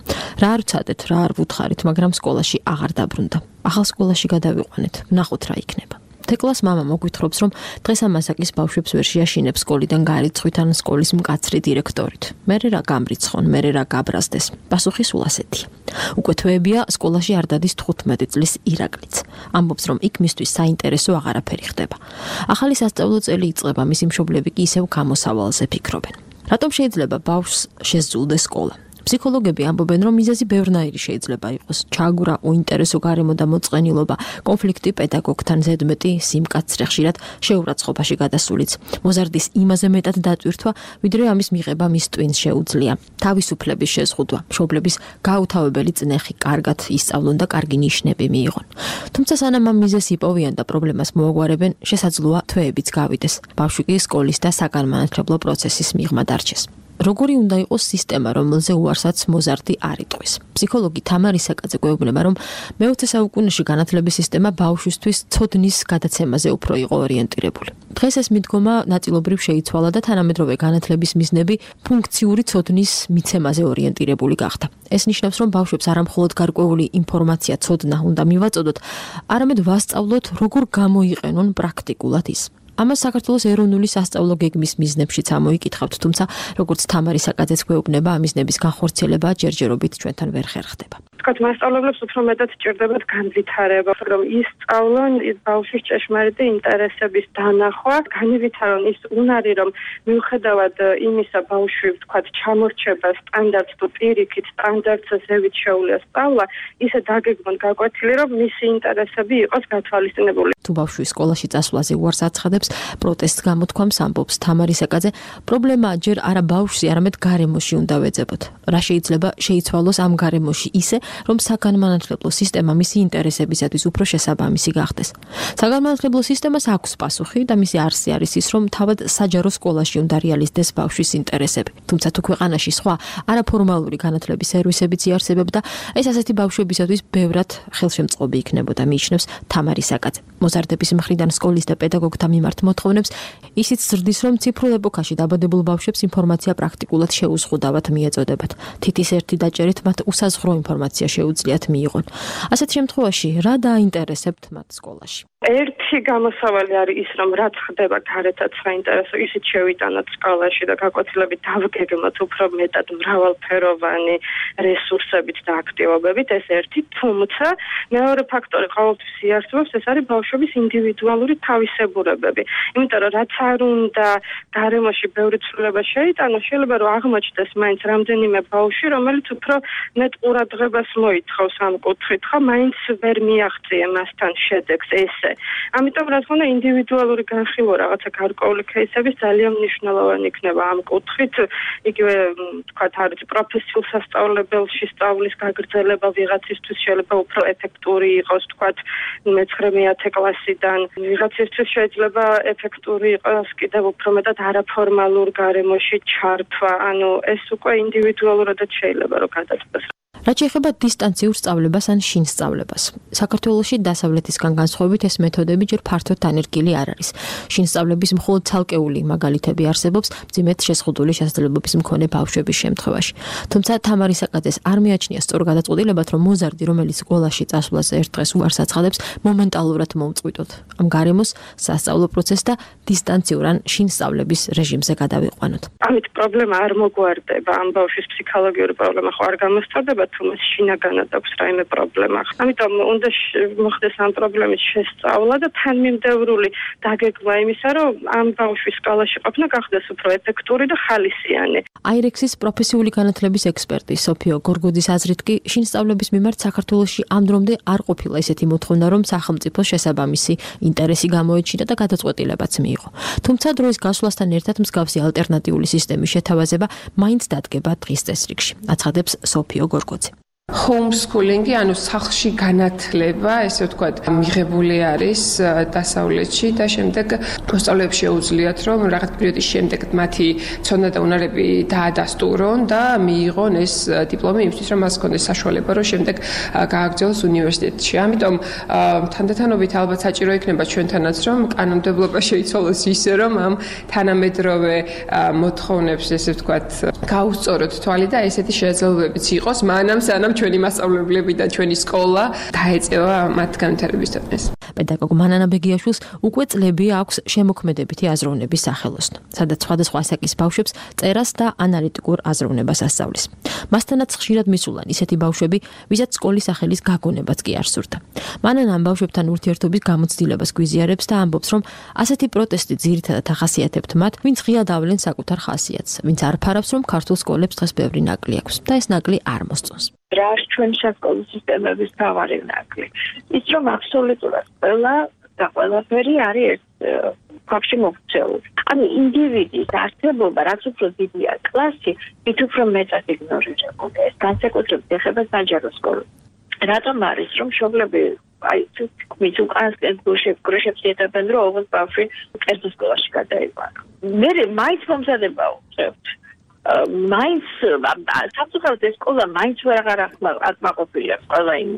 რა არ ვცადეთ, რა არ ვუთხარით, მაგრამ სკოლაში აღარ დაბრუნდა. ახალ სკოლაში გადავიყვანეთ, ვნახოთ რა იქნება. თეკლას მამა მოგვითხრობს, რომ დღეს ამასაკის ბავშვებს ვერ შეაშინებს სკოლიდან გარიცხვით ან სკოლის მკაცრი დირექტორით. მერე რა გამრიცხონ, მერე რა გაბრაზდეს. პასუხი სულ ასეთია. უკვე თვეებია სკოლაში არ დადის 15 წლის ირაკლიც. ამბობს, რომ იქ მისთვის საინტერესო აღარაფერი ხდება. ახალი სასწავლო წელი იწყება, მისი მშობლები კი ისევ გამოსავალზე ფიქრობენ. რატომ შეიძლება ბავშვს შესძულდეს სკოლა? ფსიქოლოგები ამბობენ, რომ მიზეზი ბევრნაირი შეიძლება იყოს. ჩაგვრა, უინტერესო გარემო და მოწყენილობა, კონფლიქტი პედაგოგთან, ზედმეტი სიმკაცრე, ხშირად შეურაცხყოფაში გადასულიც. მოზარდის იმაზე მეტად დატვირთვა, ვიდრე ამის მიღება მის ტვინს შეუძლია. თავისუფლების შეზღუდვა, მშობლების გაუთავებელი წნეხი, კარგად ისწავლონ და კარგი ნიშნები მიიღონ. თუმცა სანამ ამ მიზეზს იპოვიან და პრობლემას მოაგვარებენ, შესაძლოა თვეებიც გავიდეს. ბავშვი კი სკოლის და საგანმანათლებლო პროცესის მიღმა დარჩეს. როგორი უნდა იყოს სისტემა, რომელზე უარსაც მოზარდი არ იტყვის. ფსიქოლოგი თამარი საკაძე გვეუბნება, რომ მე-20 საუკუნეში განათლების სისტემა ბავშვისთვის ცოდნის გადაცემაზე უფრო იყო ორიენტირებული. დღეს ეს მიდგომა ნაწილობრივ შეიცვალა და თანამედროვე განათლების მიზნები ფუნქციური ცოდნის მიცემაზე ორიენტირებული გახდა. ეს ნიშნავს, რომ ბავშვებს არამხოლოდ გარკვეული ინფორმაცია ცოდნა უნდა მივაწოდოთ, არამედ ვასწავლოთ, როგორ გამოიყენონ პრაქტიკულად ის. ამას საქართველოს ეროვნული სასწავლო გეგმის მიზნებშიც ამოიკითხავთ, თუმცა როგორც თამარი საკაძეც გვეუბნება, ამ მიზნების განხორციელება ჯერჯერობით ჩვენთან ვერ ხერხდება. თქვათ მასწავლებლებს უფრო მეტად სჭირდებათ განვითარება, რომ ისწავლონ ის ბავშვის ჭეშმარიტი ინტერესების დანახვა, განვითარონ ის უნარი, რომ მიუხედავად იმისა ბავშვი თქვათ ჩამორჩება სტანდარტს თუ პირიქით სტანდარტზე ზევით შეუძლია სწავლა, ისე დაგეგმონ გაკვეთილი, რომ მისი ინტერესები იყოს გათვალისწინებული. თუ ბავშვი სკოლაში წასვლაზე უარს აცხადებს, პროტესტს გამოთქვამს, ამბობს თამარი საკაძე, პრობლემა ჯერ არა ბავშვში, არამედ გარემოში უნდა ვეძებოთ. რა შეიძლება შეიცვალოს ამ გარემოში ისე, რომ საგანმანათლებლო სისტემა მისი ინტერესებისათვის უფრო შესაბამისი გახდეს. საგანმანათლებლო სისტემას აქვს პასუხი და მისი არსი არის ის, რომ თავად საჯარო სკოლაში უნდა რეალიზდეს ბავშვის ინტერესები. თუმცა თუ ქვეყანაში სხვა არაფორმალური განათლების სერვისებიც იარსებებდა, ეს ასეთი ბავშვებისათვის ბევრად ხელშემწყობი იქნებოდა, მიიჩნევს თამარი საკაძე. მოზარდების მხრიდან სკოლის და პედაგოგთა მიმართ მოთხოვნებს ისიც ზრდის, რომ ციფრულ ეპოქაში დაბადებულ ბავშვებს ინფორმაცია პრაქტიკულად შეუზღუდავად მიეწოდებათ. თითის ერთი დაჭერით მათ უსაზღვრო ინფორმაცია შეუძლიათ მიიღონ. ასეთ შემთხვევაში რა დაინტერესებთ მათ სკოლაში? ერთი გამოსავალი არის ის, რომ რაც ხდება გარეთაც საინტერესო, ისიც შევიტანოთ სკოლაში და გაკვეთილებით დავგეგმოთ უფრო მეტად მრავალფეროვანი რესურსებით და აქტივობებით, ეს ერთი. თუმცა მეორე ფაქტორი ყოველთვის იარსებობს, ეს არის ბავშვების ინდივიდუალური თავისებურებები. იმიტომ რომ რაც არ უნდა გარემოში ბევრი ცვლილება შეიტანოს, შეიძლება რომ აღმოჩნდეს მაინც რამდენიმე ბავშვი, რომელიც უფრო მეტ ყურადღებას მოითხოვს ამ კუთხით, ხო, მაინც ვერ მიაღწია მასთან შედეგს ესე. ამიტომ რა თქმა უნდა ინდივიდუალური განხილვა რაღაცა გარკვეული кейსების ძალიან მნიშვნელოვანი იქნება ამ კუთხით. იგივე თქვათ არის პროფესიულ სასწავლებელში სწავლის გაგრძელება ვიღაცისთვის შეიძლება უფრო ეფექტური იყოს, თქვათ მე-9-10 კლასიდან. ვიღაცისთვის შეიძლება ეფექტური იყოს კიდევ უფრო მეტად არაფორმალურ გარემოში ჩართვა. ანუ ეს უკვე ინდივიდუალურად შეიძლება რომ გადაწყვეტოს. რაც შეეხება დისტანციურ სწავლებას ან შინ სწავლებას. საქართველოში დასავლეთისგან განსხვავებით ეს მეთოდები ჯერ ფართოდ დანერგილი არ არის. შინ სწავლების მხოლოდ ცალკეული მაგალითები არსებობს მძიმედ შეზღუდული შესაძლებლობების მქონე ბავშვების შემთხვევაში. თუმცა თამარი საკაძეს არ მიაჩნია სწორ გადაწყვეტილებად, რომ მოზარდი, რომელიც სკოლაში წასვლაზე ერთ დღეს უარს აცხადებს, მომენტალურად მოუწყვიტოთ. ამ გარემოს სასწავლო პროცესს და დისტანციურ ან შინ სწავლების რეჟიმზე გადავიყვანოთ. ამით პრობლემა არ მოგვარდება, ამ ბავშვის ფსიქოლოგიური პრობლემა ხო არ გამოსწორდება, თუმცა შინაგანად აქვს რაიმე პრობლემა. ამიტომ უნდა მოხდეს ამ პრობლემის შესწავლა და თანმიმდევრული დაგეგმა იმისა, რომ ამ ბავშვის სკოლაში ყოფნა გახდეს უფრო ეფექტური და ხალისიანი. აირექსის პროფესიული განათლების ექსპერტი სოფიო გორგოძის აზრით კი შინსწავლების მიმართ საქართველოში ამ დრომდე არ ყოფილა ესეთი მოთხოვნა, რომ სახელმწიფოს შესაბამისი ინტერესი გამოეჩინა და გადაწყვეტილებაც მიიღო. თუმცა დროის გასვლასთან ერთად მსგავსი ალტერნატიული სისტემის შეთავაზება მაინც დადგება დღის წესრიგში, აცხადებს სოფიო გორგოძე. homeschooling-ი, ანუ სახლში განათლება, ესე ვთქვათ, მიღებული არის დასავლეთში და შემდეგ მოსწავლეებს შეუძლიათ, რომ რაღაც პერიოდის შემდეგ მათი ცოდნა და უნარები დაადასტურონ და მიიღონ ეს დიპლომი იმისთვის, რომ მას ჰქონდეს საშუალება, რომ შემდეგ გააგრძელოს უნივერსიტეტში. ამიტომ თანდათანობით ალბათ საჭირო იქნება ჩვენთანაც, რომ კანონმდებლობა შეიცვალოს ისე, რომ ამ თანამედროვე მოთხოვნებს, ესე ვთქვათ, გაუსწოროთ თვალი და ესეთი შესაძლებლობებიც იყოს, სანამ ჩვენი მასწავლებლები და ჩვენი სკოლა დაეწევა მათ განვითარებისთანაც. პედაგოგ მანანა ბეგიაშვილს უკვე წლები აქვს შემოქმედებითი აზროვნების სახელოსნო, სადაც სხვადასხვა ასაკის ბავშვებს წერას და ანალიტიკურ აზროვნებას ასწავლის. მასთანაც ხშირად მისულან ისეთი ბავშვები, ვისაც სკოლის სახელის გაგონებაც კი არ სურდა. მანანა ამ ბავშვებთან ურთიერთობის გამოცდილებას გვიზიარებს და ამბობს, რომ ასეთი პროტესტი ძირითადად ახასიათებთ მათ, ვინც ღია დავლენ საკუთარ ხასიათს, ვინც არ ფარავს, რომ ქართულ სკოლებს დღეს ბევრი ნაკლი აქვს და ეს ნაკლი არ მოსწონს. რა არის ჩვენი სასკოლო სისტემების თავარი ნაკლი? ის რომ აბსოლუტურად ყველაფერი არის ერთ ფაქტში მოქცეული. ანუ ინდივიდის არსებობა, რაც უფრო დიდია კლასი, მით უფრო მეტად იგნორირებულია. ეს განსაკუთრებით ეხება საჯარო სკოლას. რატომ არის, რომ მშობლები მის უკანასკენ გუშებს ეტებენ, რომ ოღონდ ბავშვი კერძო სკოლაში გადაიყვანო. მე მაინც მომზადება უწევთ. მაინც საფუძვლად ეს სკოლა მაინც ვეღარ აკმაყოფილია ყველა იმ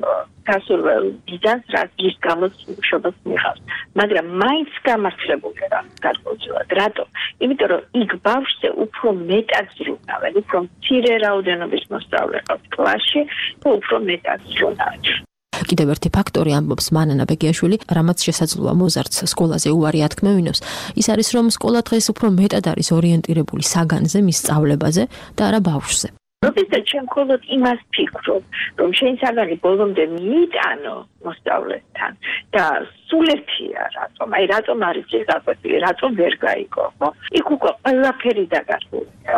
გასურველ ბიძანს, რაც ის გამოც მშობელს მიიღავს. მაგრამ მაინც გამართლებულია რა გადმოცემად. რატომ? იმიტომ რომ იქ ბავშვზე უფრო მეტად ზრუნავენ, უფრო მცირე რაოდენობის მოსწავლე ყავს კლასში და უფრო მეტად ზრუნავენ. კიდევ ერთი ფაქტორი ამბობს მანანა ბეგიაშვილი, რამაც შესაძლოა მოზარდს სკოლაზე უარი ათქმევინოს, ის არის რომ სკოლა დღეს უფრო მეტად არის ორიენტირებული საგანზე, მის სწავლებაზე და არა ბავშვზე. როდესაც ჩემ მხოლოდ იმას ფიქრობ, რომ შენ საგანი ბოლომდე მიიტანო მოსწავლესთან და სულ ერთია რატომ, რატომ არის ეს გაკვეთილი, რატომ ვერ გაიგო, ხო? იქ უკვე ყველაფერი დაგასრულია.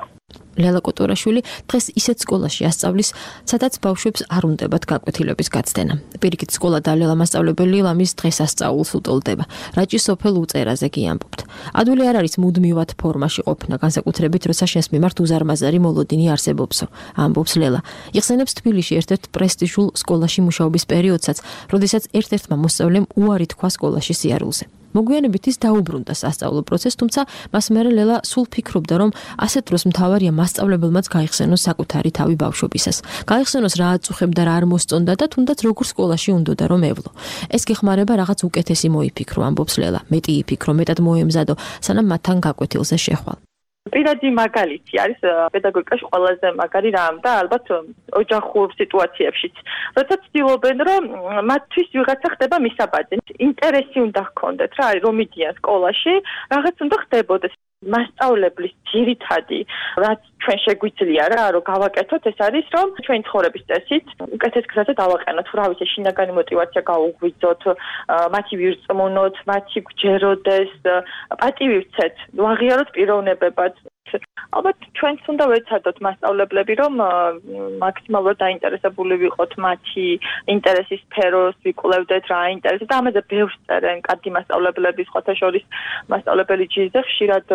ლელა კოტორაშვილი დღეს ისეთ სკოლაში ასწავლის, სადაც ბავშვებს არ უნდებათ გაკვეთილების გაცდენა. პირიქით სკოლა და ლელა მასწავლებელი ლამის დღეს ასწაულს უტოლდება. რაჭის სოფელ უწერაზე კი ამბობთ. ადვილი არ არის მუდმივად ფორმაში ყოფნა, განსაკუთრებით როცა შენს მიმართ უზარმაზარი მოლოდინი არსებობსო, ამბობს ლელა. იხსენებს თბილისში ერთ-ერთ პრესტიჟულ სკოლაში მუშაობის პერიოდსაც, როდესაც ერთ-ერთმა მოსწავლემ უარი თქვა სკოლაში სიარულზე. მოგვიანებით ის დაუბრუნდა სასწავლო პროცესს, თუმცა მას მერე ლელა სულ ფიქრობდა, რომ ასეთ დროს მთავარია მასწავლებელმაც გაიხსენოს საკუთარი თავი ბავშვობისას. გაიხსენოს რა აწუხებდა, რა არ მოსწონდა და თუნდაც როგორ სკოლაში უნდოდა რომ ევლო. ეს გეხმარება რაღაც უკეთესი მოიფიქრო, ამბობს ლელა. მეტი იფიქრო, მეტად მოემზადო, სანამ მათთან გაკვეთილზე შეხვალ. პირადი მაგალითი არის პედაგოგიკაში ყველაზე მაგარი რამ და ალბათ ოჯახურ სიტუაციებშიც. როცა ცდილობენ, რომ მათთვის ვიღაცა ხდება მისაბაძი, ინტერესი უნდა ჰქონდეთ რა, რომ მიდიან სკოლაში, რაღაც უნდა ხდებოდეს. მასწავლებლის ძირითადი, რაც ჩვენ შეგვიძლია რა, რომ გავაკეთოთ, ეს არის, რომ ჩვენი ცხოვრების წესით უკეთეს გზაზე დავაყენოთ, რა ვიცი, შინაგანი мотиваცია გაუღვიძოთ, მათი ვირწმუნოთ, მათი გვჯეროდეს, პატივი ვცეთ, ვაღიაროთ პიროვნებებად. ალბათ ჩვენც უნდა ვეცადოთ მასწავლებლები, რომ მაქსიმალურად დაინტერესებული ვიყოთ მათი ინტერესის სფეროს, ვიკვლევდეთ რა ინტერესებს და ამაზე ბევრს წერენ კარგი მასწავლებლები, სხვათა შორის მასწავლებელი ჯიზე ხშირად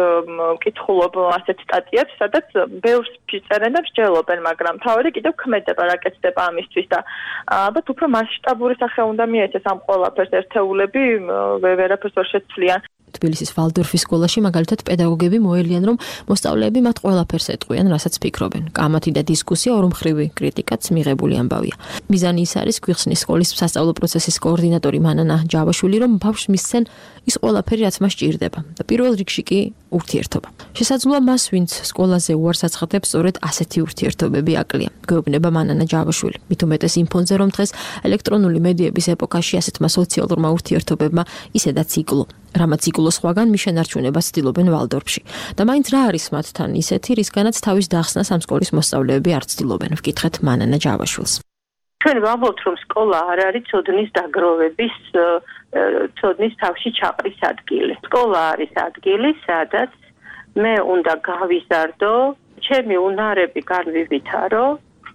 მკითხულობ ასეთ სტატიებს, სადაც ბევრს წერენ და მსჯელობენ, მაგრამ თავი კიდევ ქმედება რა კეთდება ამისთვის და ალბათ უფრო მასშტაბური სახე უნდა მიეცეს ამ ყველაფერს ერთეულები ვერაფერს ვერ შეცვლიან. თბილისის ვალდორფის სკოლაში მაგალითად პედაგოგები მოელიან, რომ მოსწავლეები მათ ყველაფერს ეტყვიან, რასაც ფიქრობენ. კამათი და დისკუსია ორმხრივი კრიტიკაც მიღებული ამბავია. მიზანი ის არის, გვიხსნის სკოლის სასწავლო პროცესის კოორდინატორი მანანა ჯავაშვილი, რომ ბავშვს მისცენ ის ყველაფერი, რაც მას ჭირდება და პირველ რიგში კი ურთიერთობა. შესაძლოა მას, ვინც სკოლაზე უარს აცხადებს, სწორედ ასეთი ურთიერთობები აკლია. გვეუბნება მანანა ჯავაშვილი. მით უმეტეს იმ ფონზე, რომ დღეს ელექტრონული მედიების ეპოქაში ასეთმა სოციალურმა ურთიერთობებმა ისედაც იკლო. რამაც იკლო სხვაგან მის შენარჩუნებას ცდილობენ ვალდორფში. და მაინც რა არის მათთან ისეთი, რისგანაც თავის დახსნას ამ სკოლის მოსწავლეები არ ცდილობენ, ვკითხეთ მანანა ჯავაშვილს. ჩვენ ვამბობთ, რომ სკოლა არ არის ცოდნის დაგროვების, ცოდნის თავში ჩაყრის ადგილი. სკოლა არის ადგილი, სადაც მე უნდა გავიზარდო, ჩემი უნარები განვივითარო,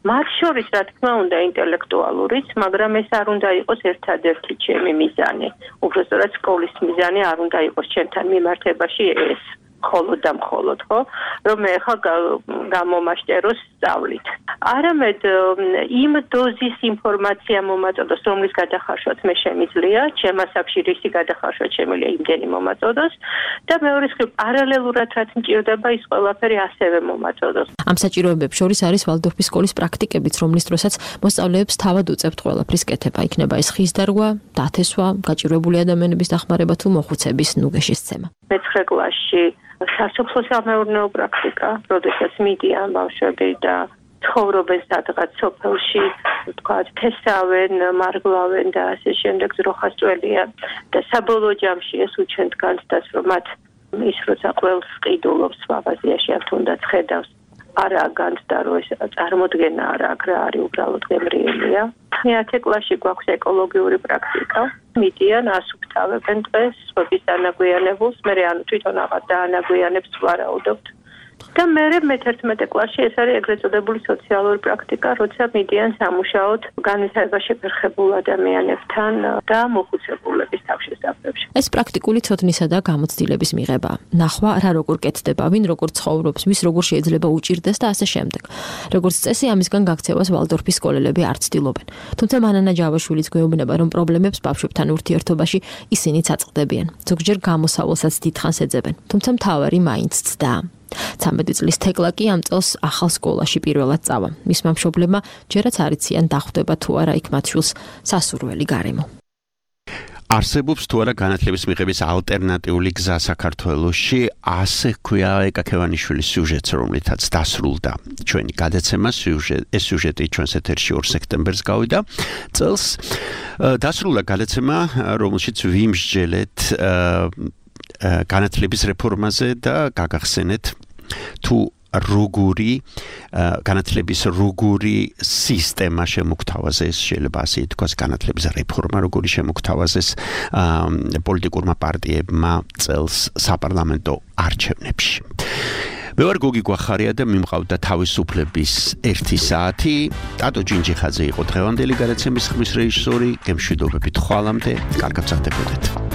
მათ შორის რა თქმა უნდა ინტელექტუალურიც, მაგრამ ეს არ უნდა იყოს ერთადერთი ჩემი მიზანი. უბრალოდ სკოლის მიზანი არ უნდა იყოს ჩემთან მიმართებაში ეს. მხოლოდ და მხოლოდ, ხო? რომ მე ხა გამომაშტეროს სწავლით. არამედ იმ დოზის ინფორმაცია მომაწოდოს, რომლის გადახარშვაც მე შემიძლია, ჩემ ასაკში რისი გადახარშვა შემიძლია იმდენი მომაწოდოს და მეორე მხრივ პარალელურად რაც მჭირდება ის ყველაფერი ასევე მომაწოდოს. ამ საჭიროებებს შორის არის ვალდორფის სკოლის პრაქტიკებიც, რომლის დროსაც მოსწავლეებს თავად უწევთ ყველაფრის კეთება. იქნება ეს ხის დარგვა, დათესვა, გაჭირვებული ადამიანების დახმარება თუ მოხუცების ნუგეშის ცემა. მე-9 კლასში სასოფლო-სამეურნეო პრაქტიკა, როდესაც მიდიან ბავშვები და ცხოვრობენ სადღაც სოფელში, თქვა, თესავენ, მარგლავენ და ასე შემდეგ ძროხასწველიან და საბოლოო ჯამში ეს უჩვენთ განცდას, რომ მათ ის როცა ყველს ყიდულობს მაღაზიაში ან თუნდაც ხედავს არა განცდა, რომ ეს წარმოდგენა არ აქვს რა არის უბრალოდ გემრიელია. მე-10 კლასში გვაქვს ეკოლოგიური პრაქტიკა. მიდიან, ასუფთავებენ დღეს, სხვების დანაგვიანებულს, მე ანუ თვითონ აღარ დაანაგვიანებს ვარაუდობთ. და მე-11 კლასში ეს არის ეგრეთ წოდებული სოციალური პრაქტიკა, როცა მიდიან სამუშაოდ განვითარება შეფერხებულ ადამიანებთან და მოხუცებულების თავშესაფრებში. ეს პრაქტიკული ცოდნისა და გამოცდილების მიღება. ნახვა რა როგორ კეთდება, ვინ როგორ ცხოვრობს, ვის როგორ შეიძლება უჭირდეს და ასე შემდეგ. როგორც წესი, ამისგან გაქცევას ვალდორფის სკოლელები არ ცდილობენ. თუმცა მანანა ჯავაშვილიც გვეუბნება, რომ პრობლემებს ბავშვებთან ურთიერთობაში ისინიც აწყდებიან. ზოგჯერ გამოსავალსაც დიდხანს ეძებენ, თუმცა მთავარი მაინც ცდაა. 13 წლის თეკლა კი ამ წელს ახალ სკოლაში პირველად წავა. მისმა მშობლებმა ჯერაც არ იციან დახვდება თუ არა იქ მათ შვილს სასურველი გარემო. არსებობს თუ არა განათლების მიღების ალტერნატიული გზა საქართველოში, ასე ქვია ეკაკევანიშვილის სიუჟეტს, რომლითაც დასრულდა ჩვენი გადაცემა. ეს სიუჟეტი ჩვენს ეთერში 2 სექტემბერს გავიდა. წელს დასრულდა გადაცემა, რომელშიც ვიმსჯელეთ განათლების რეფორმაზე და გაგახსენეთ თუ როგორი განათლების როგორი სისტემა შემოგთავაზეს, შეიძლება ასე ითქვას, განათლების რეფორმა როგორი შემოგთავაზეს პოლიტიკურმა პარტიებმა წელს საპარლამენტო არჩევნებში. მე ვარ გოგი გვახარია და მიმყავდა თავისუფლების 1 საათი. ტატო ჯინჯიხაძე იყო დღევანდელი გადაცემის ხმის რეჟისორი. გემშვიდობებით ხვალამდე, კარგად გრძდებოდეთ.